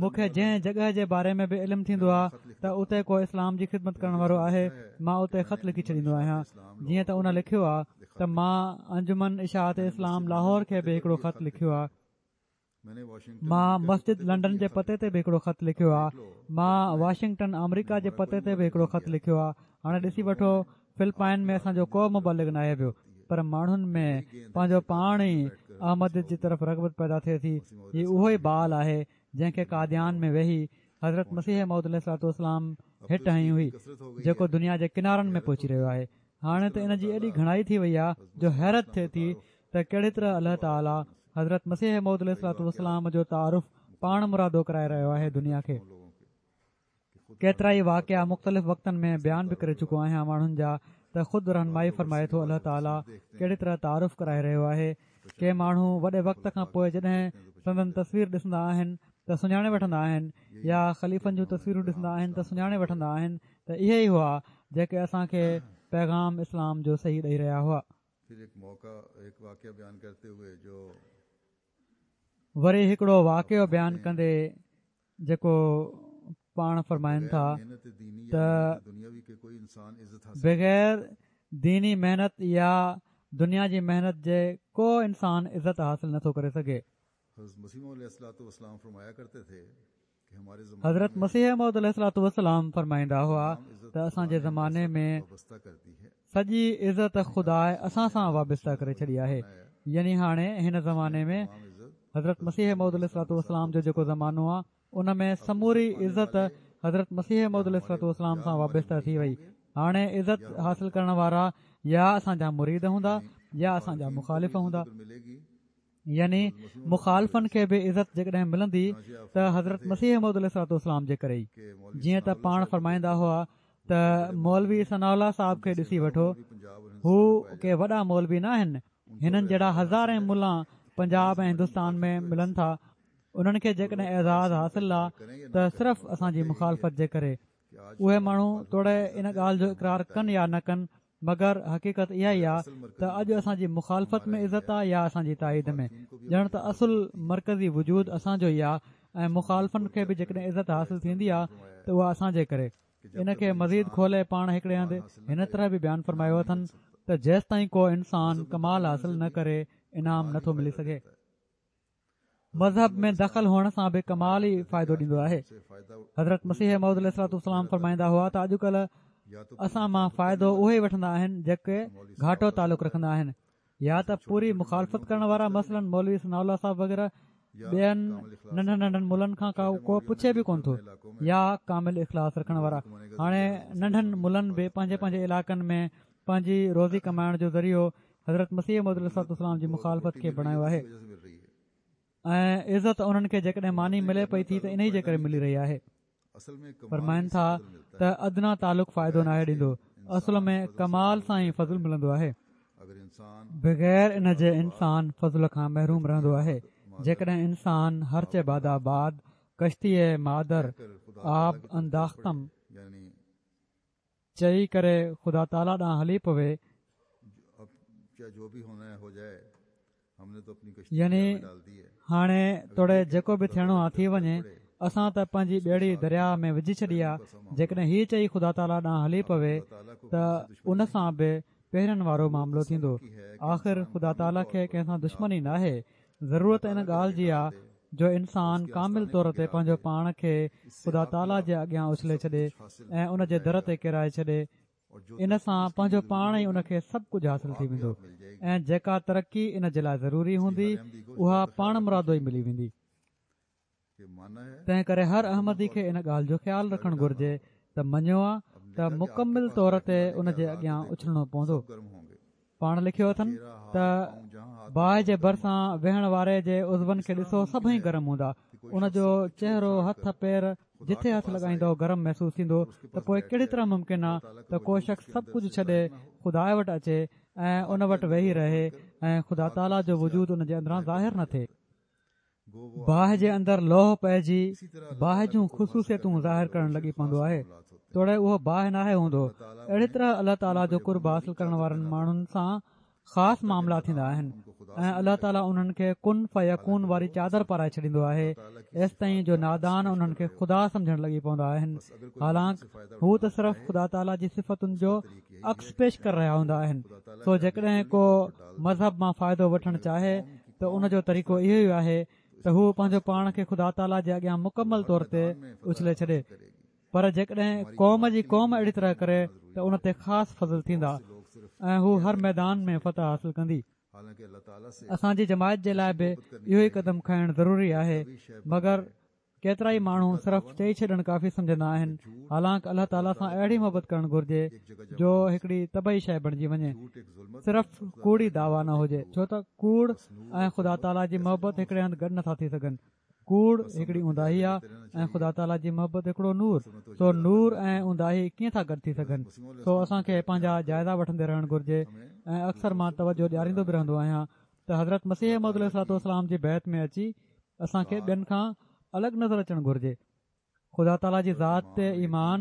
مون کي جنهن جڳهه جي باري ۾ به علم ٿيندو آهي ته اتي ڪو اسلام جي خدمت ڪرڻ وارو آهي، مان اتي خط لکي ڇڏيندو آهيان. جيئن ته ان لکيو آهي ته مان انجمن اشاعت اسلام لاهور کي به هڪڙو خط لکيو آهي، مان مسجد لنڊن جي پتي تي به هڪڙو خط لکيو آهي، مان واشنگٽن آمريڪا جي پتي تي به هڪڙو خط لکيو آهي. هاڻي ڏسي وٺو، فلپائن ۾ اسان جو ڪو مبلغ ناهي ويو، پر ماڻهن ۾ پنهنجو پاڻ ئي احمديت جي طرف رغبت پيدا ٿئي ٿي. هي اهو ئي بال آهي جنهن کي قاديان ۾ ويهي حضرت مسيح موعود عليه الصلوة والسلام هٽ هنئي هئي، جيڪو دنيا جي ڪنارن ۾ پهچي رهيو آهي. هاڻي ته ان جي ايڏي گهڻائي ٿي وئي آهي جو حيرت ٿئي ٿي ته ڪهڙي طرح الله تعاليٰ حضرت مسيح موعود عليه الصلوة والسلام جو تعارف پاڻ مرادو ڪرائي رهيو آهي دنيا کي. ڪيترائي واقعا مختلف وقتن ۾ بيان به ڪري چڪو آهيان ماڻهن جا ته خود رهنمائي فرمائي ٿو الله تعاليٰ ڪهڙي طرح تعارف ڪرائي رهيو آهي. ڪي ماڻهو وڏي وقت کان پوءِ جڏهن سندن تصوير ڏسندا آهن ته سڃاڻي وٺندا آهن، يا خليفن جون تصويرون ڏسندا آهن ته سڃاڻي وٺندا آهن ته اهي ئي هئا جيڪي اسان کي پيغام اسلام جو صحيح ڏئي رهيا هئا. وري هڪڙو واقعو بيان ڪندي جيڪو پاڻ فرمائن ٿا ته بغير ديني محنت يا دنيا جي محنت جي ڪو انسان عزت حاصل نٿو ڪري سگهي. حضرت مسيح موعود عليه الصلوة والسلام فرمائيندا هئا ته اسان جي زماني ۾ سڄي عزت خدا اسان سان وابسته ڪري ڇڏي آهي. يعني هاڻي هن زماني ۾ حضرت مسيح موعود عليه الصلوة والسلام جو جيڪو زمانو آهي ان ۾ سموري عزت حضرت مسيح موعود عليه الصلوة والسلام سان وابسته ٿي وئي. هاڻي عزت حاصل ڪرڻ وارا يا اسان جا مريد هوندا يا اسان جا مخالف هوندا. يعني مخالفن کي به عزت جيڪڏهن ملندي ته حضرت مسيح موعود عليه الصلوة والسلام جي ڪري ئي. جيئن ته پاڻ فرمائيندا هئا ته مولوي ثناء الله صاحب کي ڏسي وٺو، هو ڪي وڏا مولوي نه آهن، هنن جهڙا هزارين ملا پنجاب ۽ هندستان ۾ ملن ٿا. انهن کي جيڪڏهن اعزاز حاصل آ ته صرف اسان جي مخالفت جي ڪري. اهي ماڻهو توڙي ان ڳالهه جو اقرار ڪن يا نه ڪن، مگر حقيقت اها ئي آهي ته اڄ اسان جي مخالفت ۾ عزت آهي يا اسان جي تائيد ۾، ڄڻ ته اصل مرڪزي وجود اسان جو ئي آهي ۽ مخالفن کي به جيڪڏهن عزت حاصل ٿيندي آهي ته اها اسان جي ڪري. ان کي مزيد کولي پاڻ هڪڙي هنڌ هن طرح به بيان فرمايو اٿن ته جيستائين ڪو انسان ڪمال حاصل نه ڪري انعام نٿو ملي سگهي. مذهب ۾ دخل هئڻ سان به ڪمال ئي فائدو ڏيندو آهي. حضرت مسيح موعود عليه الصلوة والسلام فرمائيندا هئا ته اڄڪلهه اسان مان فائدو اهي ئي وٺندا آهن جيڪي گهاٽو تعلق رکندا آهن، يا ته پوري مخالفت ڪرڻ وارا مثلاً مولوي ثناء الله صاحب وغيره ٻين ننڍن ننڍن ملن کان ڪو پڇي به ڪونه ٿو، يا ڪامل اخلاص رکڻ وارا. هاڻي ننڍن ملن به پنهنجي پنهنجي علائقن ۾ پنهنجي روزي ڪمائڻ جو ذريعو حضرت مسيح موعود عليه الصلوة والسلام جي مخالفت کي بڻايو آهي ۽ عزت انهن کي جيڪڏهن ماني ملي پئي ٿي ته انهي جي ڪري ملي رهي آهي. فرمائن ٿا ته ادنيٰ تعلق فائدو ناهي ڏيندو، اصل ۾ ڪمال سان ئي فضل ملندو آهي. بغير ان جي انسان فضل کان محروم رهندو آهي. جيڪڏهن انسان هرچه بادا باد ڪشتي مادر آب انداختم چئي ڪري خدا تعاليٰ ڏانهن هلي پوي يعني هاڻي توڙي جيڪو به ٿيڻو آ ٿي وڃي، اسان ته پنهنجي ٻيڙي درياهه ۾ وجهي ڇڏي آ. جيڪڏهن هي چئي خدا تعاليٰ ڏانهن هلي پوي ته ان سان به پهرين وارو معاملو ٿيندو. آخر خدا تعاليٰ کي ڪنهن سان دشمني ناهي. ضرورت ان ڳالهه جي آ جو انسان ڪامل طور تي پنهنجو پاڻ کي خدا تعاليٰ جي اڳيان اڇلي ڇڏي ۽ ان جي در تي ڪيرائي ڇڏي. ان سان پنهنجو پاڻ ئي ان کي سڀ ڪجهه حاصل ٿي ويندو ۽ جيڪا ترقي ان جي لاءِ ضروري هوندي اها پاڻ مرادو ئي ملي ويندي. تنهن ڪري هر احمدي کي ان ڳالهه جو خيال رکڻ گهرجي ته مڃيو آ ته مڪمل طور تي ان جي اڳيان اڇلڻو پوندو. پاڻ لکيو اٿن ته باهه جي ڀرسان ويهڻ واري جي عضون کي ڏسو، سڀئي گرم هوندا. ان جو چهرو، هٿ، پير جٿي هٿ لڳائيندو گرم محسوس ٿيندو. ته پوءِ ڪهڙي طرح ممڪن آ ته ڪو شخص سڀ ڪجهه ڇڏي خدا وٽ اچي ۽ ان وٽ ويهي رهي ۽ خدا تعاليٰ جو وجود ان جي اندران ظاهر نه ٿئي؟ باهه جي اندر لوهه پئجي باهه جون خصوصيتون ظاهر ڪرڻ لڳي پوندو آهي، توڙي اهو باهه ناهي هوندو. اهڙي طرح الله تعاليٰ جو قرب حاصل ڪرڻ وارن ماڻهن سان خاص معاملا ٿيندا آهن ۽ الله تعاليٰ انهن کي ڪن فيڪون واري چادر پارائي ڇڏيندو آهي، ايستائين جو نادان انهن کي خدا سمجهڻ لڳي پوندا آهن. حالانڪ هو ته صرف خدا تعاليٰ جي صفتن جو عڪس پيش ڪري رهيا هوندا آهن. سو جيڪڏهن ڪو مذهب مان فائدو وٺڻ چاهي ته ان جو طريقو اهو ئي آهي ته هو پنهنجو پاڻ کي خدا تعاليٰ جي اڳيان مڪمل طور تي اڇلي ڇڏي. پر جيڪڏهن قوم جي قوم اهڙي طرح ڪري ته ان تي خاص فضل ٿيندا ۽ هو هر ميدان ۾ فتح حاصل ڪندي. اسان جي جماعت جي لاءِ به اهو ئي قدم کڻڻ ضروري آهي، مگر ڪيترا ئي ماڻهو صرف چئي ڇڏڻ ڪافي سمجهندا آهن. حالانڪ الله تعاليٰ سان اهڙي محبت ڪرڻ گهرجي جو هڪڙي طبعي شيءِ بڻجي وڃي، صرف ڪوڙي دعويٰ نه هجي، ڇو ته ڪوڙ ۽ خدا تعاليٰ جي محبت هڪڙي هنڌ گڏ نٿا ٿي سگهن. ڪوڙ هڪڙي اونداهي آهي ۽ خدا تعاليٰ جي محبت هڪڙو نور، سو نور ۽ اونداهي ڪيئن ٿا گڏ ٿي سگهن؟ سو اسان کي پنهنجا جائزا وٺندي رهڻ گهرجي ۽ اڪثر مان توجهه ڏياريندو به رهندو آهيان ته حضرت مسيح موعود عليه الصلوة والسلام جي بيعت ۾ اچي اسان کي ٻين کان الڳ نظر اچڻ گهرجي. خدا تعاليٰ جي ذات تي ايمان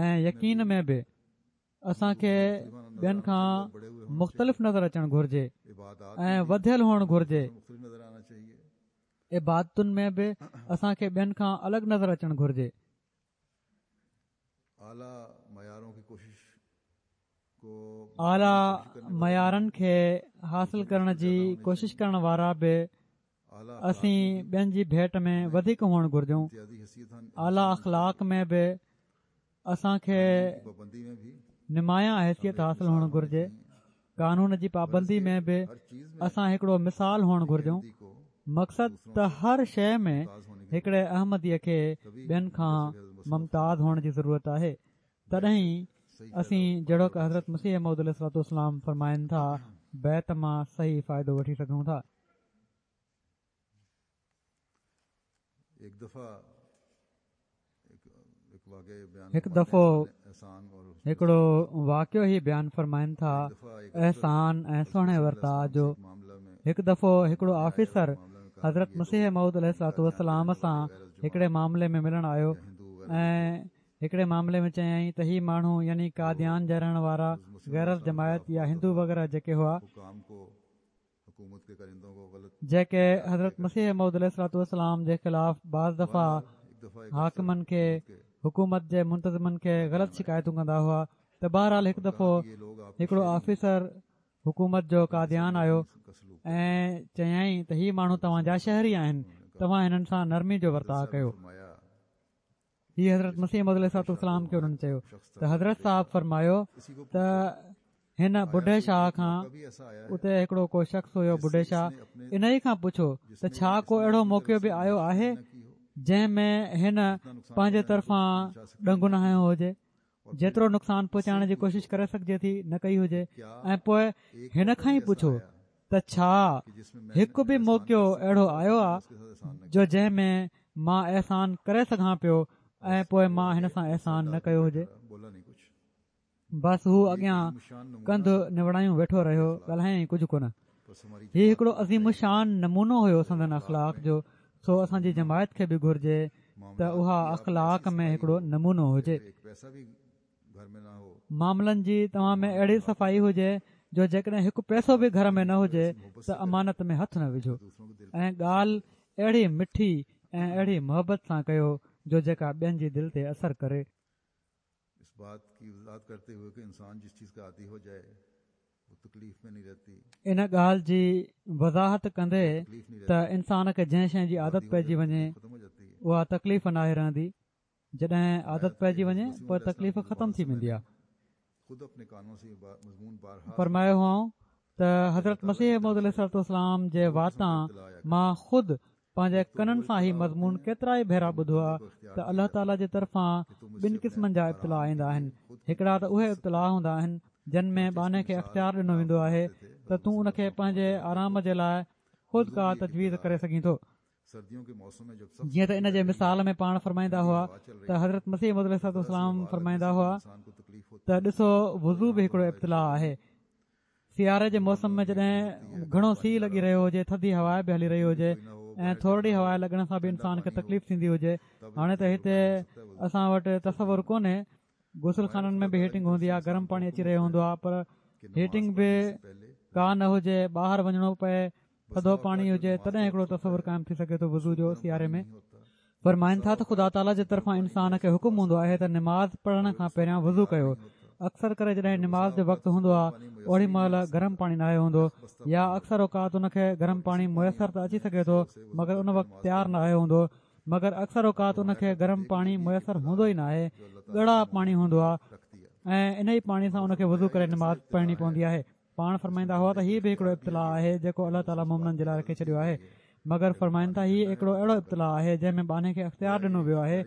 ۽ يقين ۾ به اسان کي ٻين کان مختلف نظر اچڻ گهرجي ۽ وڌيل هئڻ گهرجي. عبادتن ۾ به اسان کي ٻين کان الڳ نظر اچڻ گهرجي. اعليٰ معيارن کي حاصل ڪرڻ جي ڪوشش ڪرڻ وارا به اسين ٻين جي ڀيٽ ۾ وڌيڪ هئڻ گهرجون. اعليٰ اخلاق ۾ به اسان کي نمايان حيثيت حاصل هئڻ گهرجي. قانون جي پابندي ۾ به اسان هڪڙو مثال هئڻ گهرجون. مقصد ته هر شيءِ ۾ هڪڙي احمديءَ کي ٻين کان ممتاز هئڻ جي ضرورت آهي. تڏهن ئي اسين جهڙوڪ حضرت مسيح موعود عليه الصلوة والسلام فرمائن ٿا، بيعت مان صحيح فائدو وٺي سگهون ٿا. هڪ دفعو هڪڙو واقعو هي بيان فرمائن ٿا احسان ۽ سهڻي ورتاءُ جو. هڪ دفعو هڪڙو آفيسر حضرت مسيح موعود عليه الصلوة والسلام سان هڪڙي معاملي ۾ ملڻ آيو ۽ هڪڙي معاملي ۾ چيائين ته هي ماڻهو يعني قاديان جا رهڻ وارا غير از جماعت يا هندو وغيره جيڪي هئا، جيڪي حضرت مسيح موعود عليه الصلوة والسلام جي خلاف بعض دفعا حاڪمن کي، حڪومت جي منتظمن کي غلط شڪايتون ڪندا هئا. ته بهرحال هڪ دفعو هڪڙو آفيسر حڪومت جو قاديان آيو ۽ چيائين ته هي ماڻهو توهان جا شهري آهن، توهان هنن سان نرمي جو ورتاءُ ڪيو. هي حضرت مسيح موعود عليه الصلوة والسلام کي انهن چيو ته حضرت صاحب فرمايو ته هن بڍي شاهه کان، اتي هڪڙو ڪو شخص هيو بڍي شاهه، انهيءَ کان پڇو ته ڇا ڪو اهڙو موقعو به آيو آهي جنهن ۾ هن پنهنجي طرفان ڏنگ نه هنيو هجي، جيترو نقصان پهچائڻ جي ڪوشش ڪري سگهجي ٿي نه ڪئي هجي؟ ۽ پوءِ هن کان ئي پڇو ته ڇا هڪ به موقعو اهڙو آيو آهي جو جنهن ۾ مان احسان ڪري سگهان پيو ۽ پوءِ مان هن سان احسان نه ڪيو هجي؟ بس هو اڳيان ڪنڌ نوڙايون ويٺو رهيو، ڳالهايائين ڪجهه ڪونه. هي هڪڙو عظيم الشان نمونو هيو سندن اخلاق جو. سو اسان جي جماعت کي به گهرجي ته اها اخلاق ۾ هڪڙو نمونو هجي. معاملن جي توهان ۾ اهڙي صفائي هجي جو جيڪڏهن هڪ پئسو به گهر ۾ نه هجي ته امانت ۾ هٿ نه وجهو، ۽ ڳالهه اهڙي مٺي ۽ اهڙي محبت سان ڪيو جو جيڪا ٻين جي دل تي اثر ڪري. ان ڳالهه جي وضاحت ڪندي ته انسان کي جنهن شيءِ جي عادت پئجي وڃي اها تڪليف ناهي رهندي. جڏهن عادت پئجي وڃي پوءِ تڪليف ختم ٿي ويندي آهي. فرمايو هئائون ته حضرت مسيح موعود عليه الصلوة والسلام جي واتان مان خود پنهنجي ڪنن سان هي مضمون ڪيترا ئي ڀيرا ٻڌو آهي ته الله تعاليٰ جي طرفان ٻن قسمن جا ابتلا ايندا آهن. هڪڙا ته اهي ابتلا هوندا آهن جن ۾ ٻانهي کي اختيار ڏنو ويندو آهي ته تون ان کي پنهنجي آرام جي لاءِ خود ڪا تجويز ڪري سگهين ٿو. جيئن ته ان جي مثال ۾ پاڻ فرمائيندا هئا ته حضرت مسيح موعود عليه الصلوة والسلام فرمائيندا هئا ته ڏسو وضو به هڪڙو ابتلا آهي. سياري جي موسم ۾ جڏهن گهڻو سيءُ لڳي رهيو هجي، ٿڌي هوا به هلي رهي هجي ۽ ٿورڙي هوا لڳڻ سان به انسان کي تڪليف ٿيندي هجي. هاڻي ته هتي اسان وٽ تصور ڪونهي، غسل خانن ۾ به هيٽنگ هوندي آهي، گرم پاڻي اچي رهيو هوندو آهي، پر هيٽنگ به ڪا نه هجي، ٻاهر وڃڻو پئي، ٿڌو پاڻي هجي، تڏهن هڪڙو تصور قائم ٿي سگهي ٿو وضو جو سياري ۾. فرمائن ٿا ته خدا تعاليٰ جي طرفان انسان کي حڪم هوندو آهي ته نماز پڙهڻ کان پهريان وضو ڪيو. اڪثر ڪري جڏهن نماز جو وقت هوندو آهي اوڏي مهل گرم پاڻي ناهي هوندو، يا اڪثر اوقات ان کي گرم پاڻي ميسر ته اچي سگهي ٿو مگر ان وقت تيار ناهي هوندو، مگر اڪثر اوقات ان کي گرم پاڻي ميسر هوندو ئي ناهي، ڳڙا پاڻي هوندو آهي ۽ ان ئي پاڻي سان ان کي وضو ڪري نماز پڙهڻي پوندي آهي. پاڻ فرمائيندا هئا ته هيءَ به هڪڙو ابتلا آهي جيڪو الله تعاليٰ مومنن جي لاءِ رکي ڇڏيو آهي. مگر فرمائن ٿا هيءَ هڪڙو اهڙو ابتلا آهي جنهن ۾ ٻانهي کي اختيار ڏنو ويو آهي،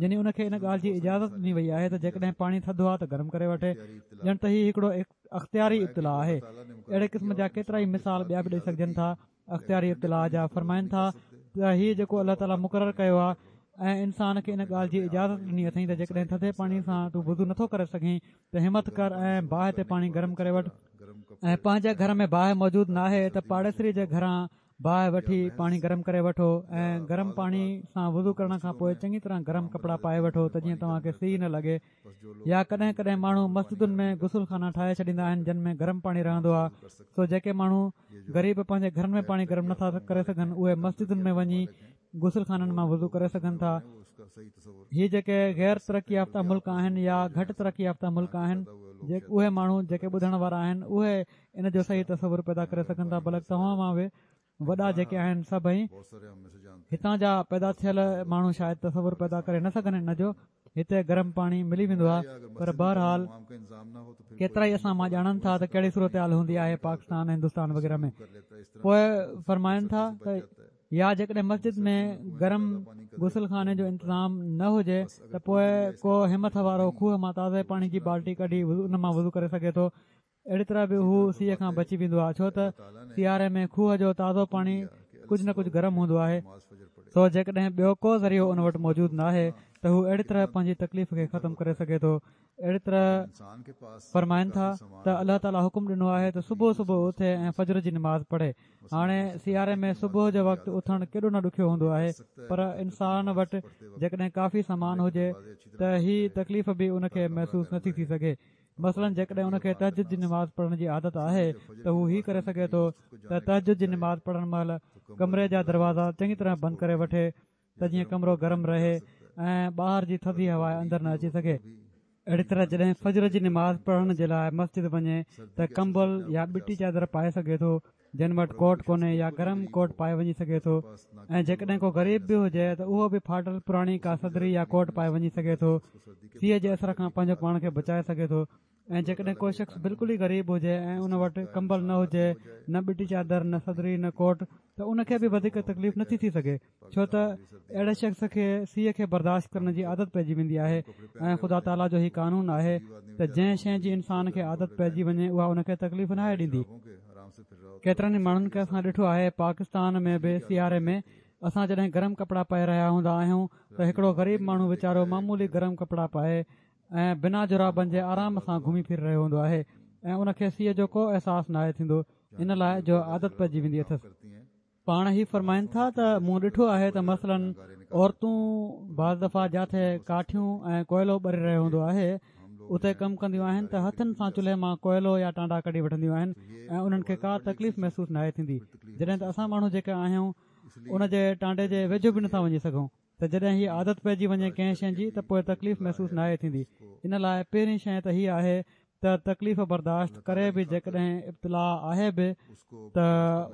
يعني ان کي ان ڳالهه جي اجازت ڏني وئي آهي ته جيڪڏهن پاڻي ٿڌو آهي ته گرم ڪري وٺي، ڄڻ ته هيءَ هڪڙو اختياري ابتلا آهي. اهڙي قسم جا ڪيترا ئي مثال ٻيا به ڏيئي سگهجن ٿا اختياري ابتلا جا. فرمائن ٿا ته هيءَ جيڪو الله تعاليٰ مقرر ڪيو آهي ۽ انسان کي ان ڳالهه جي اجازت ڏني اٿئي ته جيڪڏهن ٿڌي پاڻي سان تون وضو نٿو ڪري سگهين ته همت ڪر ۽ باهه تي پاڻي گرم ڪري وٺ، ۽ پنهنجي گهر ۾ باهه موجود ناهي ته پاڙيسري جي گهران باهه وٺي پاڻي گرم ڪري وٺو، ۽ گرم پاڻي سان وضو ڪرڻ کان پوءِ چڱي طرح گرم ڪپڙا پائي وٺو ته جيئن توهان کي سيءُ نه لڳي. يا ڪڏهن ڪڏهن ماڻهو مسجدن ۾ غسل خانا ٺاهي ڇڏيندا آهن جن ۾ گرم پاڻي رهندو آهي، سو جيڪي ماڻهو غريب پنهنجي گهرن ۾ پاڻي گرم نٿا ڪري سگهن اهي مسجدن ۾ وڃي غسل خانن مان وضو ڪري سگهن ٿا. هي جيڪي غير ترقي يافته ملڪ آهن يا گهٽ ترقي يافته ملڪ آهن، اهي ماڻهو جيڪي ٻڌڻ وارا آهن اهي ان جو صحيح تصور پيدا ڪري سگهن ٿا، بلڪ توهان مان به وڏا جيڪي آهن سڀئي هتان جا پيدا ٿيل ماڻهو شايد تصور پيدا ڪري نه سگهن ان جو. هتي گرم پاڻي ملي ويندو آهي، پر بهرحال ڪيترا ئي اسان مان ڄاڻن ٿا ته ڪهڙي صورت حال هوندي آهي پاڪستان، هندستان وغيره ۾. پوءِ فرمائن ٿا ته يا جيڪڏهن مسجد ۾ گرم غسل خاني جو انتظام نه هجي ته پوءِ ڪو همٿ وارو کوهه مان تازي پاڻي جي بالٽي ڪڍي ان مان وضو ڪري سگهي ٿو. اهڙي طرح به هو سيءَ کان بچي ويندو آهي، ڇو ته سياري ۾ کوهه جو تازو پاڻي ڪجهه نه ڪجهه گرم هوندو آهي. سو جيڪڏهن ٻيو ڪو ذريعو ان وٽ موجود نه آهي ته هو اهڙي طرح پنهنجي تڪليف کي ختم ڪري سگهي ٿو. اهڙي طرح فرمائن ٿا ته الله تعاليٰ حڪم ڏنو آهي ته صبح صبح اٿي ۽ فجر جي نماز پڙهي. هاڻي سياري ۾ صبح جو وقت اٿڻ ڪيڏو نه ڏکيو هوندو آهي، پر انسان وٽ جيڪڏهن ڪافي سامان هجي ته هي تڪليف به ان کي محسوس نٿي ٿي سگهي. مثلاً جيڪڏهن ان کي تهجد جي نماز پڙهڻ جي عادت آهي ته هو هي ڪري سگهي ٿو ته تهجد جي نماز پڙهڻ مهل ڪمري جا دروازا چڱي طرح بند ڪري وٺي ته جيئن ڪمرو گرم رهي ۽ ٻاهر جي ٿڌي هوا اندر نه اچي سگهي. اهڙي طرح جڏهن فجر جي نماز پڙهڻ جي لاءِ مسجد وڃي ته ڪمبل يا ٻٽي چادر پائي سگهي ٿو، جن وٽ ڪوٽ ڪونهي يا گرم ڪوٽ پائي وڃي سگهي ٿو. ۽ جيڪڏهن ڪو غريب به هجي ته اهو به ڦاٽل پراڻي ڪا صدري يا ڪوٽ پائي وڃي سگهي ٿو، سيءَ جي اثر کان پنهنجو پاڻ کي بچائي سگهي ٿو. ۽ جيڪڏهن ڪو شخص بلڪل ئي غريب هجي ۽ ان وٽ ڪمبل نه هجي، نه ٻٽي چادر، نه صدري، نه ڪوٽ، ته ان کي به وڌيڪ تڪليف نٿي ٿي سگهي، ڇو ته اهڙي شخص کي سيءَ کي برداشت ڪرڻ جي عادت پئجي ويندي آهي. ۽ خدا تعاليٰ جو هي قانون آهي ته جنهن شيءِ جي انسان کي عادت پئجي وڃي اها ان کي تڪليف ناهي ڏيندي. ڪيترن ئي ماڻهن کي اسان ڏٺو آهي پاڪستان ۾ به سياري ۾ اسان جڏهن گرم ڪپڙا پائي رهيا هوندا آهيون ته هڪڙو غريب ماڻهو ويچارو معمولي گرم ڪپڙا پائي ۽ بنا جرابن جي آرام سان گهمي ڦري رهيو هوندو آهي ۽ ان کي سيءَ جو ڪو احساس ناهي ٿيندو، ان لاءِ جو عادت پئجي ويندي اٿس. پاڻ هي فرمائن ٿا ته مون ڏٺو آهي ته مثلاً عورتون بعض دفعا جاٿي ڪاٺيون ۽ ڪوئلو ٻري رهيو هوندو آهي اتي ڪم ڪنديون آهن ته هٿن سان چلهي مان ڪوئلو يا ٽانڊا ڪڍي وٺنديون آهن ۽ انهن کي ڪا تڪليف محسوس ناهي ٿيندي. جڏهن ته اسان ماڻهو جيڪي آهيون ان جي ٽانڊي جي ويجهو به نٿا وڃي سگهون. ته جڏهن هيءَ عادت پئجي وڃي ڪنهن شيءِ جي ته پوءِ تڪليف محسوس ناهي ٿيندي. ان لاءِ پهرين شيءِ ته هيءَ آهي ته تڪليف برداشت ڪري به جيڪڏهن ابتلا آهي به ته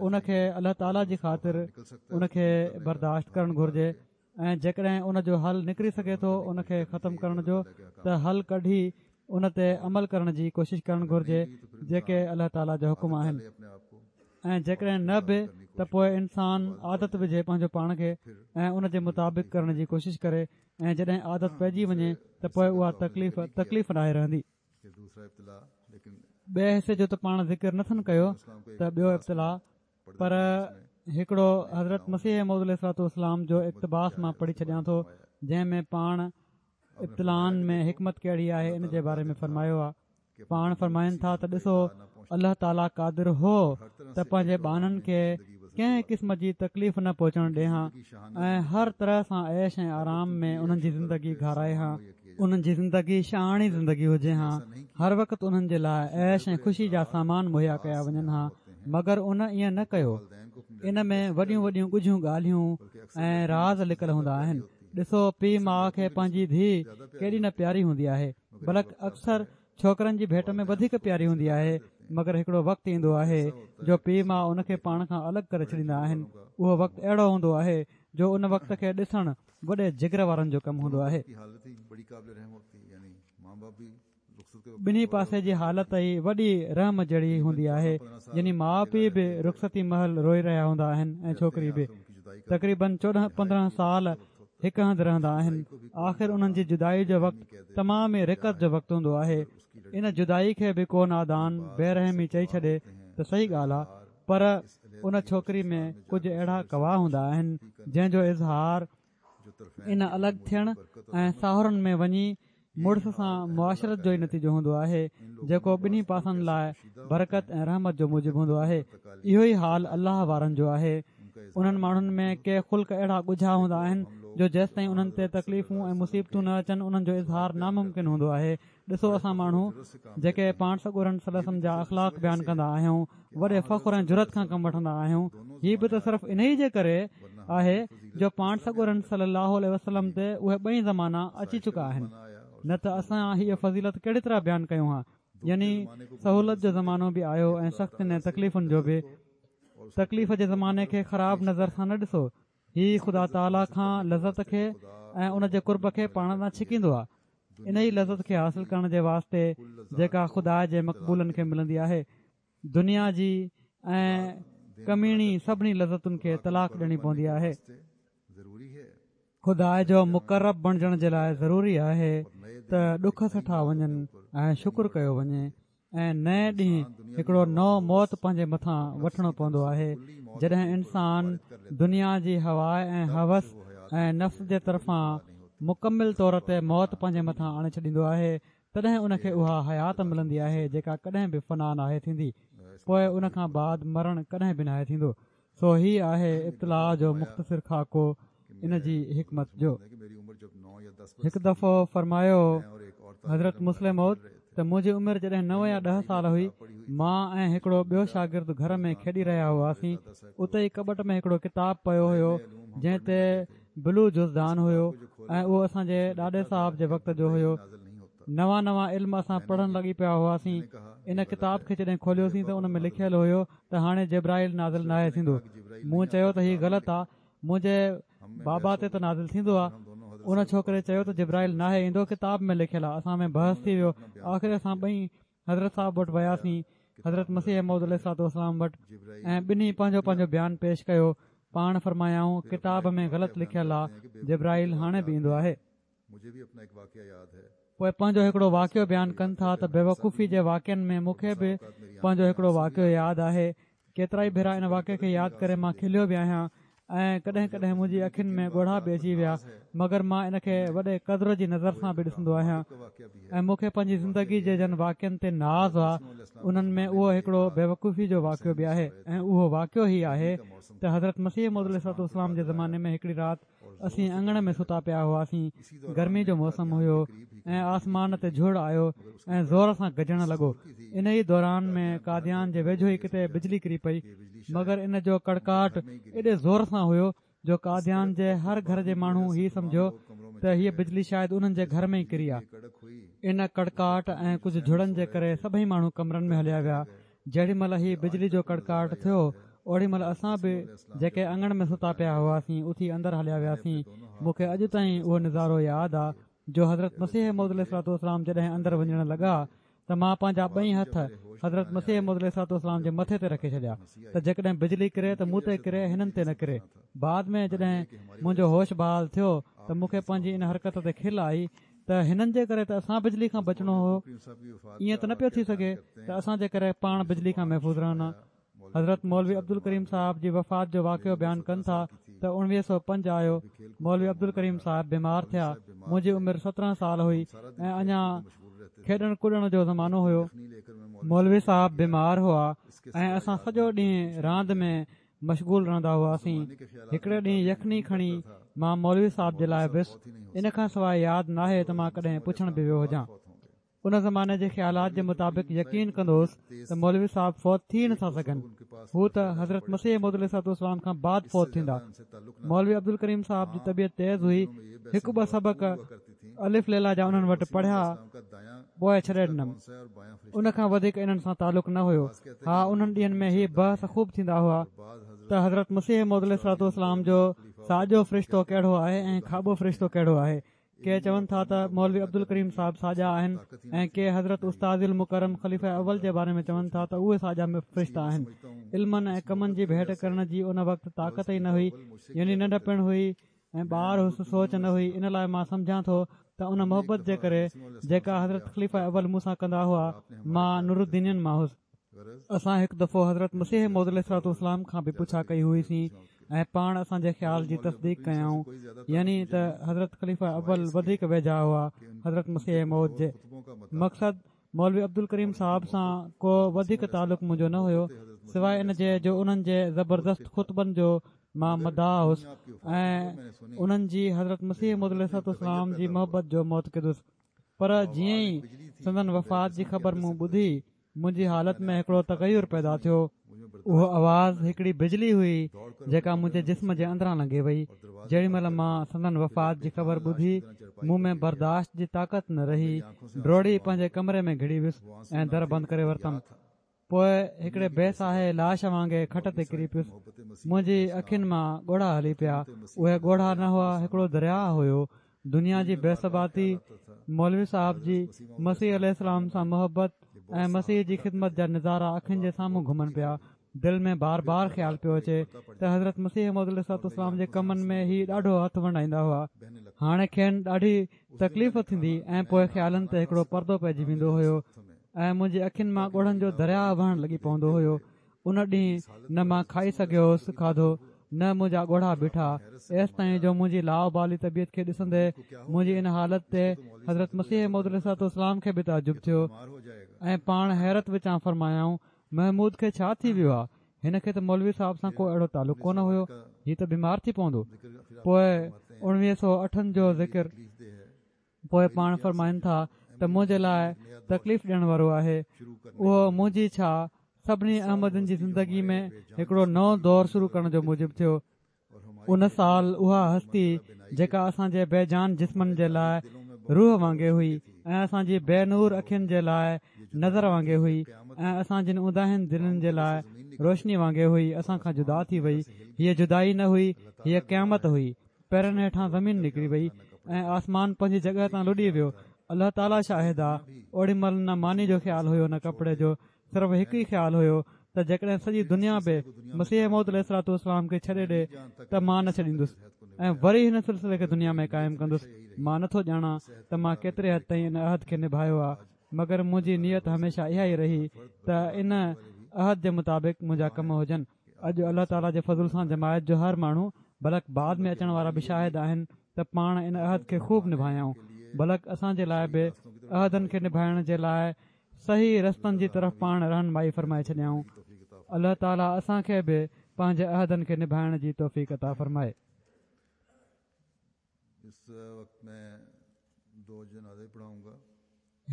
ان کي الله تعاليٰ جي خاطر ان کي برداشت ڪرڻ گهرجي ۽ جيڪڏهن ان جو حل نڪري سگهي ٿو ان کي ختم ڪرڻ جو ته حل ڪڍي ان تي عمل ڪرڻ جي ڪوشش ڪرڻ گهرجي جيڪي الله تعاليٰ جا حڪم آهن. ۽ جيڪڏهن نه به ته پوءِ انسان عادت وجهي پنهنجو پاڻ کي ۽ ان جي مطابق ڪرڻ جي ڪوشش ڪري ۽ جڏهن عادت پئجي وڃي ته پوءِ اها تڪليف تڪليف ناهي رهندي. ٻئي حصي جو ته پاڻ ذڪر نٿن ڪيو ته ٻيو ابتلا، پر هڪڙو حضرت مسيح موعود عليه الصلوة والسلام جو اقتباس مان پڙهي ڇڏيان ٿو جنهن ۾ پاڻ ابتلائن ۾ حڪمت ڪهڙي آهي ان جي باري ۾ فرمايو آهي. پاڻ فرمائن ٿا ته ڏسو الله تعاليٰ قادر هو ته پنهنجي ٻانهن کي ڪنهن قسم جي تڪليف نه پهچڻ ڏي ها ۽ هر طرح سان عيش ۽ آرام ۾ انهن جي زندگي گهارائي ها، انهن جي زندگي شاهاڻي زندگي هجي ها، هر وقت انهن جي لاءِ عيش ۽ خوشي جا سامان مهيا ڪيا وڃن ها، مگر ان ائين نه ڪيو. ان ۾ وڏيون وڏيون ڳجهيون ڳالهيون ۽ راز لڪل هوندا آهن. ڏسو پيءُ ماءُ کي پنهنجي ڌيءُ ڪيڏي نه پياري هوندي آهي، بلڪ اڪثر ڇوڪرن جي ڀيٽ ۾ وڌيڪ پياري هوندي آهي، مگر هڪڙو وقت ايندو آهي جو پيءُ ماءُ ان کي پاڻ کان الڳ ڪري ڇڏيندا آهن. اهو وقت اهڙو هوندو آهي جو ان وقت کي ڏسڻ وڏي جگر وارن جو ڪم هوندو آهي. ٻنهي پاسي جي حالت ئي وڏي رحم جهڙي هوندي آهي، يعني ماءُ پيءُ به رخصتي مهل روئي رهيا هوندا آهن ۽ ڇوڪري به. تقريبن چوڏهن پندرهن سال هڪ هنڌ رهندا آهن. آخر انهن جي جدائي جو وقت تمام ئي رقت جو وقت هوندو آهي. ان جدائي کي به ڪو نادان بي رحمي چئي ڇڏي ته صحيح ڳالهه آهي، پر ان ڇوڪري ۾ ڪجهه اهڙا ڪوا هوندا آهن جنهن جو اظهار ان الڳ ٿيڻ ۽ ساهرن ۾ وڃي مڙس سان معاشرت جو ئي نتيجو هوندو آهي، جيڪو ٻنهي پاسن لاءِ برڪت ۽ رحمت جو موجب هوندو آهي. اهو ئي حال الله وارن جو آهي. انهن ماڻهن ۾ ڪي خلق اهڙا ڳجها هوندا آهن جو جيستائين انهن تي تڪليفون ۽ مصيبتون نه اچن انهن جو اظهار ناممڪن هوندو آهي. ڏسو اسان ماڻهو جيڪي پاڻ سڳورن صلي الله عليه وسلم جا اخلاق بيان ڪندا آهيون، وڏي فخر ۽ جرئت کان ڪم وٺندا آهيون، هي به ته صرف انهي جي ڪري آهي جو پاڻ سڳورن صلي الله عليه وسلم تي اهي ٻئي زمانا اچي چڪا آهن، نه ته اسان هيءَ فضيلت ڪهڙي طرح بيان ڪيون ها. يعني سهولت جو زمانو به آيو ۽ سختين ۽ تڪليفن جو به. تڪليف جي زماني کي خراب نظر سان نه ڏسو، هي خدا تعاليٰ کان لذت کي ۽ ان جي قرب کي پاڻ ڏانهن ڇڪيندو آهي. ان ئي لذت کي حاصل ڪرڻ جي واسطي جيڪا خدا جي مقبولن کي ملندي آهي، دنيا جي ۽ ڪميڻي سڀني لذتن کي طلاق ڏيڻي پوندي آهي. خدا جو مقرب بڻجڻ جي لاءِ ضروري آهي ته ڏک سٺا وڃن ۽ شڪر ڪيو وڃي ۽ نئين ڏينهن هڪڙو نئون موت پنهنجي مٿان وٺڻو پوندو آهي. جڏهن انسان دنيا جي هوا ۽ هوس ۽ نفس جي طرفان مڪمل طور تي موت پنهنجي مٿان آڻي ڇڏيندو آهي، تڏهن ان کي اها حيات ملندي آهي جيڪا ڪڏهن به فنا ناهي ٿيندي، پوءِ ان کان بعد مرڻ ڪڏهن به ناهي ٿيندو. سو هي آهي ابتلا جو مختصر خاڪو ان جي حڪمت جو. هڪ دفعو فرمايو حضرت مصلح موعود ته منهنجي عمر جڏهن نو يا ڏهه سال هئي، مان ۽ هڪڙو ٻيو شاگرد گهر ۾ کيڏي رهيا هئاسين. اتي ئي ڪٻٽ ۾ هڪڙو ڪتاب پيو هيو جنهن تي بلو جزدان هيو ۽ اهو اسان جي ڏاڏي صاحب جي وقت جو هيو. نوان نوان علم اسان پڙهڻ لڳي پيا هئاسين. ان ڪتاب کي جڏهن کوليوسين ته ان ۾ لکيل هيو ته هاڻي جبرائيل نازل ناهي ٿيندو. مون چيو ته هي غلط آهي، منهنجي بابا تي ته نازل ٿيندو آهي. ان ڇوڪري چيو ته جبرائيل ناهي ايندو، ڪتاب ۾ لکيل آهي. اسان ۾ بحث ٿي ويو. آخر اسان ٻئي حضرت صاحب وٽ وياسين، حضرت مسيح موعود عليه الصلوة والسلام وٽ، ۽ ٻنهي پنهنجو پنهنجو بيان پيش ڪيو. پاڻ فرمايائون ڪتاب ۾ غلط لکيل آهي، جبرائيل هاڻي به ايندو آهي. پوءِ پنهنجو هڪڙو واقعو بيان ڪن ٿا ته بيوقوفي جي واقعن ۾ مون کي به پنهنجو هڪڙو واقعو ياد آهي. ڪيترا ئي ڀيرا ان واقعي کي ياد ڪري مان کليو به آهيان ۽ ڪڏهن ڪڏهن منهنجي اکين ۾ ڳوڙها به اچي ويا، مگر مان ان کي وڏي قدر جي نظر سان به ڏسندو آهيان ۽ مون کي پنهنجي زندگي جي جن واقعن تي ناز آهي انهن ۾ اهو هڪڙو بيوقوفي جو واقعو به آهي. ۽ اهو واقعو هي آهي ته حضرت مسيح موعود عليه الصلوة والسلام جي زماني ۾ هڪڙي رات اسين اڱڻ ۾ ستا پيا هئاسين. گرمي جو موسم هيو ۽ آسمان تي جهڙ آيو ۽ زور سان گجڻ لڳو. ان ئي دوران ۾ قاديان جي ويجهو ئي ڪٿي بجلي ڪري پئي، مگر ان جو ڪڙڪاٽ ايڏي زور سان هيو جو قاديان جي هر گهر جي ماڻهو هي سمجهيو ته هيء بجلي شايد انهن جي گهر ۾ ئي ڪري آ. ان ڪڙڪاٽ ۽ ڪجهه جهڙن جي ڪري سڀئي ماڻهو ڪمرن ۾ هليا ويا. جهڙي مهل هي بجلي جو ڪڙڪاٽ ٿيو اوڙي مهل اسان به جيڪي اڱڻ ۾ ستا پيا هئاسين اٿي اندر هليا وياسين. مون کي اڄ تائين اهو نظارو ياد آ جو حضرت مسيح موعود عليه الصلوة والسلام جڏهن اندر وڃڻ لڳا ته مان پنهنجا ٻئي هٿ حضرت مسيح موعود عليه الصلوة والسلام جي مٿي تي رکي ڇڏيا ته جيڪڏهن بجلي ڪري ته مون تي ڪري، هنن تي نه ڪري. بعد ۾ جڏهن منهنجو هوش بحال ٿيو ته مون کي پنهنجي ان حرڪت تي کل آئي ته هنن جي ڪري ته اسان بجلي کان بچڻو هو، ائين ته نه پيو ٿي سگهي ته اسان جي ڪري پاڻ بجلي کان محفوظ رهن. حضرت مولوي عبدالڪريم صاحب جي وفات جو واقعو بيان ڪن ٿا ته اڻويهه سؤ پنج آيو. مولوي عبدالڪريم صاحب بيمار ٿيا. منهنجي عمر سترهن سال هئي ۽ اڃا کيڏڻ ڪڏڻ جو زمانو هيو. مولوي صاحب بيمار هئا ۽ اسان سڄو ڏينهن راند ۾ مشغول رهندا هئاسين. هڪڙي ڏينهن يخني کڻي مان مولوي صاحب جي لاءِ ويس. ان کان سواءِ ياد ناهي ته مان ڪڏهن پڇڻ به ويو هجان. ان زماني جي خيالات جي مطابق يقين ڪندو هوس ته مولوي صاحب فوت ٿي نٿا سگهن، هو ته حضرت مسيح موعود عليه الصلوة والسلام کان بعد فوت ٿيندا. مولوي عبدالڪريم صاحب جي طبيعت تيز هئي. هڪ ٻه سبق الف ليله جا انهن وٽ پڙهيا پوءِ ڇڏي ڏنم. ان کان وڌيڪ انهن سان تعلق نه هيو. ها، انهن ڏينهن ۾ هي بحث خوب ٿيندا هئا ته حضرت مسيح موعود عليه الصلوة والسلام جو ساڄو فرشتو ڪهڙو آهي ۽ کاٻو فرشتو ڪهڙو آهي. ڪي چون ٿا ته مولوي عبدالڪريم صاحب ساڄا آهن ۽ ڪي حضرت استاد المڪرم خليفه اول جي باري ۾ چون ٿا ته اهي ساڄا فرشتا آهن. علمن ۽ ڪمن جي ڀيٽ ڪرڻ جي ان وقت طاقت ئي نه هئي، يعني ننڍپڻ هئي ۽ ٻار هوس، سوچ نه هئي. ان لاءِ مان سمجهان ٿو ته ان محبت جي ڪري جيڪا حضرت خليفه اول مون سان ڪندا هئا، مان نورالدينين مان هوس. اسان هڪ دفعو حضرت مسيح موعود عليه الصلوة والسلام کان به پڇا ڪئي هئيسين ۽ پاڻ اسان جي خيال جي تصديق ڪيائون، يعني ته حضرت خليفه اول وڌيڪ ويجها هئا حضرت مسيح موعود جي. مقصد مولوي عبدالڪريم صاحب سان ڪو وڌيڪ تعلق منهنجو نه هيو، سواءِ ان جي جو انهن جي زبردست خطبن جو مان مداح هوس ۽ انهن جي حضرت مسيح موعود عليه الصلوة والسلام جي محبت جو معتقد هوس. پر جيئن ئي سندن وفات جي خبر مون ٻڌي، منهنجي حالت ۾ هڪڙو تغير پيدا ٿيو. اهو آواز هڪڙي بجلي هئي جيڪا منهنجي جسم جي اندران لنگهي وئي. جهڙي مهل مان سندن وفات جي خبر ٻڌي، مون ۾ برداشت جي طاقت نه رهي. ڊوڙي پنهنجي ڪمري ۾ گهڙي ويس ۽ در بند ڪري ورتم. پوءِ هڪڙي بي ساهي لاش وانگي کٽ تي ڪري پيس. منهنجي اکين مان ڳوڙها هلي پيا. اهي ڳوڙها نه هئا، هڪڙو درياهه هيو. دنيا جي بي ثباتي، مولوي صاحب جي مسيح عليه السلام سان محبت ۽ مسيح جي خدمت جا نظارا اکين جي سامهون گهمن پيا. دل ۾ بار بار خيال پيو اچي ته حضرت مسيح موعود عليه الصلوة والسلام جي ڪمن ۾ هي ڏاڍو هٿ ونڊائيندا هئا. هاڻي کين ڏاڍي تڪليف ٿيندي ۽ پوءِ خيالن تي هڪڙو پردو پئجي ويندو هيو ۽ منهنجي اکين مان ڳوڙهن جو درياهه وهڻ لڳي پوندو هيو. ان ڏينهن نه مان کائي سگهيو هوس کاڌو، نه منهنجا ڳوڙها بيٺا، ايستائين جو منهنجي لاابالي طبيعت کي ڏسندي منهنجي ان حالت تي حضرت مسيح موعود عليه الصلوة والسلام کي به تعجب ٿيو ۽ پاڻ حيرت وچان فرمايائون، محمود کي ڇا ٿي ويو آهي؟ هن کي ته مولوي صاحب سان ڪو اهڙو تعلق ڪونه هيو، هي ته بيمار ٿي پوندو. پوءِ اڻويهه سؤ اٺن جو ذڪر پوءِ پاڻ فرمائن ٿا ته منهنجي لاءِ تڪليف ڏيڻ وارو آهي. اهو منهنجي ڇا سڀني احمدين جي زندگي ۾ هڪڙو نئون دور شروع ڪرڻ جو موجب ٿيو. ان سال اها هستي جيڪا اسان جي بيجان جسمن جي لاءِ روح وانگي هئي ۽ اسان جي بي نور اکين جي لاءِ نظر وانگي هئي ۽ اسان جن اونداهين دلين جي لاءِ روشني وانگي هئي، اسان کان جدا ٿي وئي. هيءَ جدائي نه هئي، هيءَ قيامت هئي. پيرن هيٺان زمين نڪري وئي ۽ آسمان پنهنجي جڳهه تان لڏي ويو. الله تعاليٰ شاهد آ، اوڏي مهل نه ماني جو خيال هيو نه ڪپڙي جو، صرف هڪ ئي خيال هيو ته جيڪڏهن سڄي دنيا به مسيح موعود عليه الصلوة والسلام کي ڇڏي ڏي ته مان نه ڇڏيندس ۽ وري هن سلسلي کي دنيا ۾ قائم ڪندس. مان نٿو ڄاڻان ته مان ڪيتري حد تائين ان عهد کي نڀايو آ، مگر منهنجي نيت هميشه اها ئي رهي ته ان عهد جي مطابق منهنجا ڪم هجن. اڄ الله تعاليٰ جي فضل سان جماعت جو هر ماڻهو بلڪ بعد ۾ اچڻ وارا به شاهد آهن ته پاڻ ان عهد کي خوب نڀايائون، بلڪ اسان جي لاءِ به عهدن کي نڀائڻ جي لاءِ صحيح رستن جي طرف پاڻ رهنمائي فرمائي ڇڏيائون. الله تعاليٰ اسان کي به پنهنجي عهدن کي نڀائڻ جي توفيق عطا فرمائي.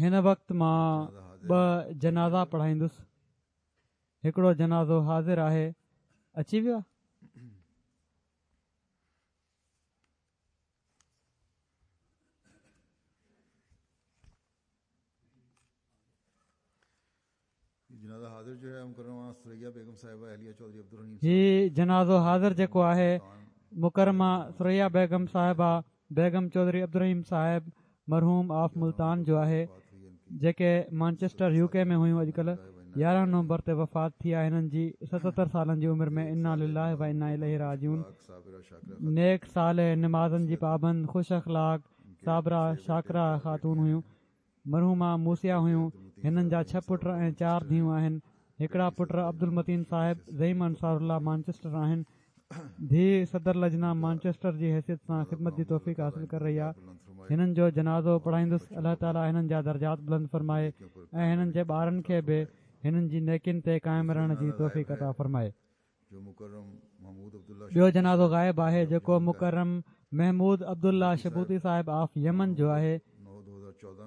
هن وقت مان ٻه جنازا پڙهائيندس. هڪڙو جنازو حاضر آهي، اچي ويو آهي. هي جنازو حاضر جيڪو آهي مڪرمه ثريا بيگم صاحبه بيگم چوڌري عبدالرحيم صاحب مرحوم آف ملتان جو آهي، جيڪي مانچسٽر يو ڪي ۾ هيون. اڄڪلهه يارهن نومبر تي وفات ٿي آهي هنن جي ستهتر سالن جي عمر ۾. انا لله و انا اليه راجعون. نيڪ صالح، نمازن جي پابند، خوش اخلاق، صابره شاڪره خاتون هيون. مرحومه موسيا هيون. هنن جا ڇهه پٽ ۽ چار ڌيئون آهن. هڪڙا پٽ عبدالمتين صاحب زعيم انصار الله مانچسٽر آهن. ڌيءُ صدر لجنا مانچسٽر جي حيثيت سان خدمت جي توفيق حاصل ڪري رهي آهي. هنن جو جنازو پڙهائيندس. الله تعاليٰ هنن جا درجات بلند فرمائي ۽ هنن جي ٻارن کي به هنن جي نيڪين تي قائم رهڻ جي توفيق عطا فرمائي. ٻيو جنازو غائب آهي جيڪو مڪرم محمود عبدالله شبوتي صاحب آف يمن جو آهي.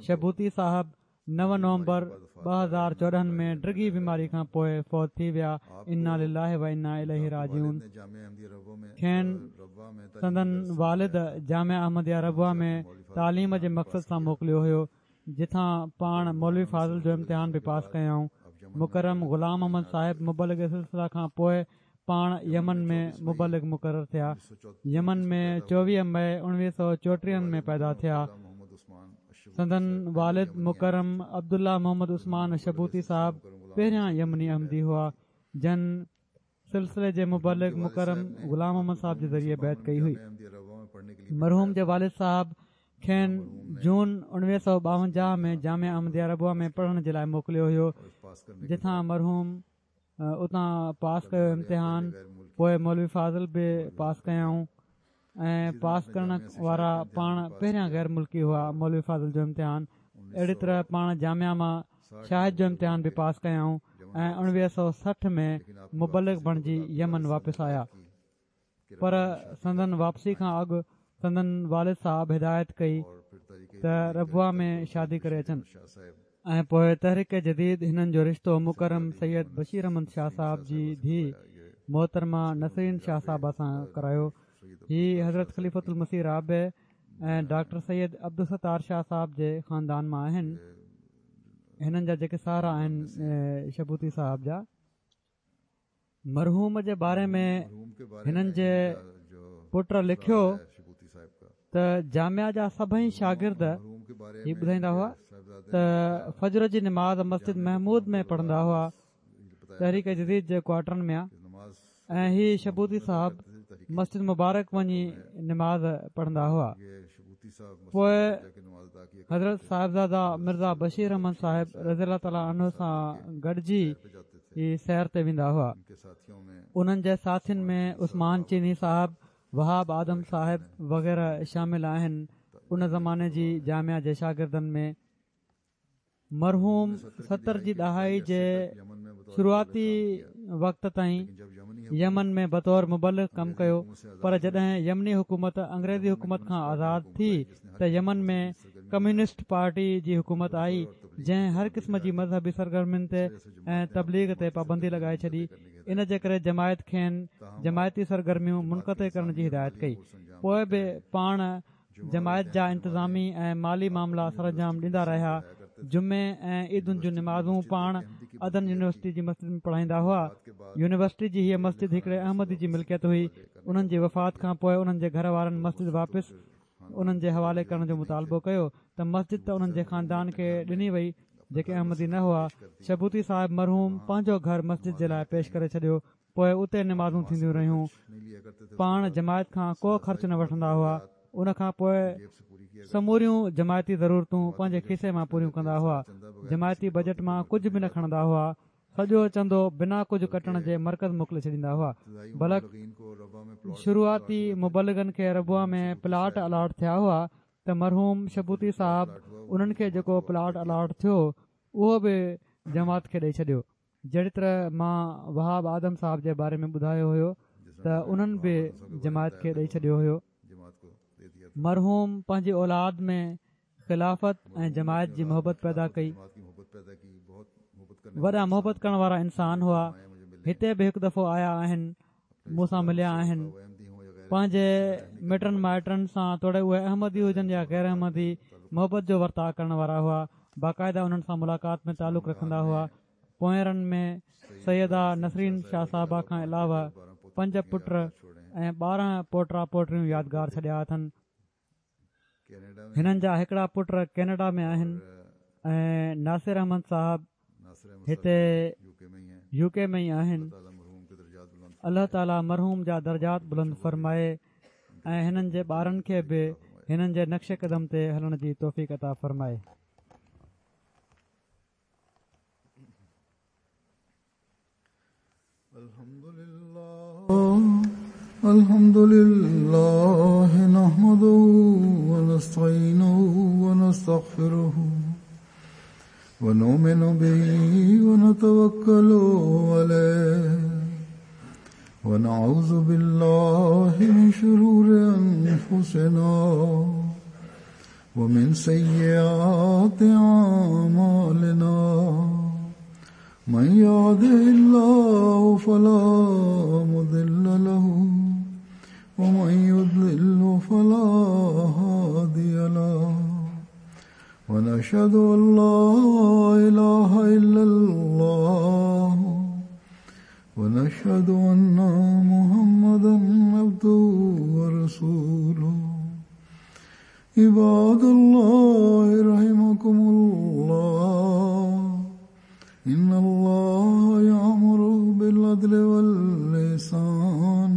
شبوتي صاحب نو نومبر ٻه هزار چوڏهن ۾ ڊگهي بيماري کان پوءِ فوت ٿي ويا. انا لله و انا اليه راجعون. کين سندن والد جامعه احمديه ربوه ۾ تعليم جي مقصد سان موڪليو هيو، جتان پاڻ مولوي فاضل جو امتحان به پاس ڪيائون. مڪرم غلام محمد صاحب مبلغ سلسله کان پوءِ پاڻ يمن ۾ مبلغ مقرر ٿيا. يمن ۾ چوويهه مئي اڻويهه سؤ چوٽيهن ۾ پيدا ٿيا. سندن والد مڪرم عبدالله محمد عثمان شبوتي صاحب پهريان يمني احمدي هئا، جن سلسلي جي مبلغ مڪرم غلام محمد صاحب جي ذريعي بيعت ڪئي هئي. مرحوم جي والد صاحب کين جون اڻويهه سؤ ٻاونجاهه ۾ جامعه احمديه ربوه ۾ پڙهڻ جي لاءِ موڪليو هيو، جتان مرحوم اتان پاس ڪيو امتحان. پوءِ مولوي فاضل به پاس ڪيائون ۽ پاس ڪرڻ وارا پاڻ پهريان غير ملڪي هئا مولوي فاضل جو امتحان. اهڙي طرح پاڻ جامعه مان شاهد جو امتحان به پاس ڪيائون ۽ اڻويهه سؤ سٺ ۾ مبلغ بڻجي يمن واپس آيا. پر سندن واپسي کان اڳ سندن والد صاحب هدايت ڪئي ته ربوه ۾ شادي ڪري اچن ۽ پوءِ تحريڪ جديد هنن جو رشتو مڪرم سيد بشير احمد شاهه صاحب جي ڌيءُ محترمه نسرين شاهه صاحبه سان ڪرايو. هي حضرت خليفة المسيح رابع ۽ ڊاڪٽر سيد عبدالستار شاهه صاحب جي خاندان مان آهن. هنن جا جيڪي سهرا آهن شبوتي صاحب جا. مرحوم جي باري ۾ هنن جي پٽ لکيو ته جامعه جا سڀئي شاگرد هي ٻڌائيندا هئا ته فجر جي نماز مسجد محمود ۾ پڙهندا هئا، تحريڪ جديد جي ڪوارٽرن ۾ ۽ هي شبوتي صاحب مسجد مبارڪ وڃي نماز پڙهندا هئا. پوءِ حضرت صاحبزاده مرزا بشير احمد صاحب رضي الله تعاليٰ عنه سان گڏجي هي سير تي ويندا هئا. انهن جي ساٿين ۾ عثمان چيني صاحب، وهاب آدم صاحب وغيره شامل آهن. ان زماني جي جامعه جي شاگردن ۾ مرحوم ستر جي ڏهائي جي شروعاتي وقت تائين يمن ۾ بطور مبلغ ڪم ڪيو، پر جڏهن يمني حڪومت انگريزي حڪومت کان آزاد ٿي ته يمن ۾ ڪميونسٽ پارٽي جي حڪومت آئي، جنهن هر قسم جي مذهبي سرگرمين تي ۽ تبليغ تي پابندي لڳائي ڇڏي. ان جي ڪري جماعت کين جماعتي سرگرميون منقطع ڪرڻ جي هدايت ڪئي. پوءِ به پاڻ جماعت جا انتظامي ۽ مالي معاملا سرانجام ڏيندا رهيا. جمعي ۽ عيدن جون نمازون پاڻ عدن يونيورسٽي جي مسجد ۾ پڙهائيندا هئا. يونيورسٽي جي هيءَ مسجد هڪڙي احمدي جي ملڪيت هئي. انهن جي وفات کان پوءِ انهن جي گهر وارن مسجد واپس انهن جي حوالي ڪرڻ جو مطالبو ڪيو ته مسجد ته انهن جي خاندان کي ڏني وئي، جيڪي احمدي نه هئا. شبوتي صاحب مرحوم پنهنجو گهر مسجد جي لاءِ پيش ڪري ڇڏيو. پوءِ اتي نمازون ٿينديون رهيون. پاڻ جماعت کان ڪو خرچ نه وٺندا هئا. ان کان پوءِ سموريون جماعتي ضرورتون پنهنجي کيسي مان پوريون ڪندا هئا. جماعتي بجيٽ مان ڪجهه به نه کڻندا هئا. سڄو چندو بنا ڪجهه ڪٽڻ جي مرڪز موڪلي ڇڏيندا هئا. بلڪ شروعاتي مبلغن کي ربوه ۾ پلاٽ الاٽ ٿيا هئا ته مرحوم شبوتي صاحب انهن کي جيڪو پلاٽ الاٽ ٿيو اهو به جماعت کي ڏيئي ڇڏيو. جهڙي طرح مان وهاب آدم صاحب جي باري ۾ ٻڌايو هيو ته انهن به جماعت کي ڏيئي ڇڏيو هيو. مرحوم پنهنجي اولاد ۾ خلافت ۽ جماعت جي محبت پيدا ڪئي. وڏا محبت ڪرڻ وارا انسان هئا. هتي به هڪ دفعو آيا آهن، مون سان مليا آهن. پنهنجي مٽن مائٽن سان توڙي اهي احمدي هجن يا غير احمدي محبت جو ورتاءُ ڪرڻ وارا هئا. باقاعده انهن سان ملاقات ۾ تعلق رکندا هئا. پوئرن ۾ سيده نسرين شاهه صاحبه کان علاوه پنج پٽ ۽ ٻارهن پوٽا پوٽريون يادگار ڇڏيا اٿن. هنن جا هڪڙا پٽ ڪينيڊا ۾ آهن ۽ ناصر احمد صاحب هتي يو ڪي ۾ ئي آهن. الله تعاليٰ مرحوم جا درجات بلند فرمائي ۽ هنن جي ٻارن کي به هنن جي نقش قدم تي هلڻ جي توفيق عطا فرمائي. الحمد لله نحمده ونستعينه ونستغفره ونؤمن به ونتوكل عليه ونعوذ بالله من شرور أنفسنا ومن سيئات أعمالنا من يهده الله فلا مضل له ومن يضلل فلا هادي له ونشهد أن لا إله إلا الله ونشهد أن محمدا عبده ورسوله. عباد الله رحمكم الله، إن الله يأمر بالعدل والإحسان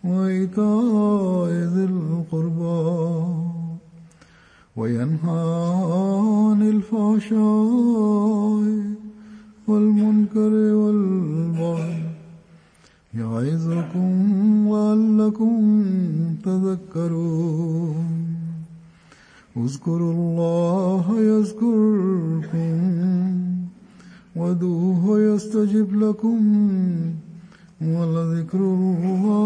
وإيتاء ذي القربى وينهى عن الفحشاء والمنكر والبغي يعظكم لعلكم تذكرون. اذكروا الله يذكركم وادعوه يستجب لكم ولذكر الله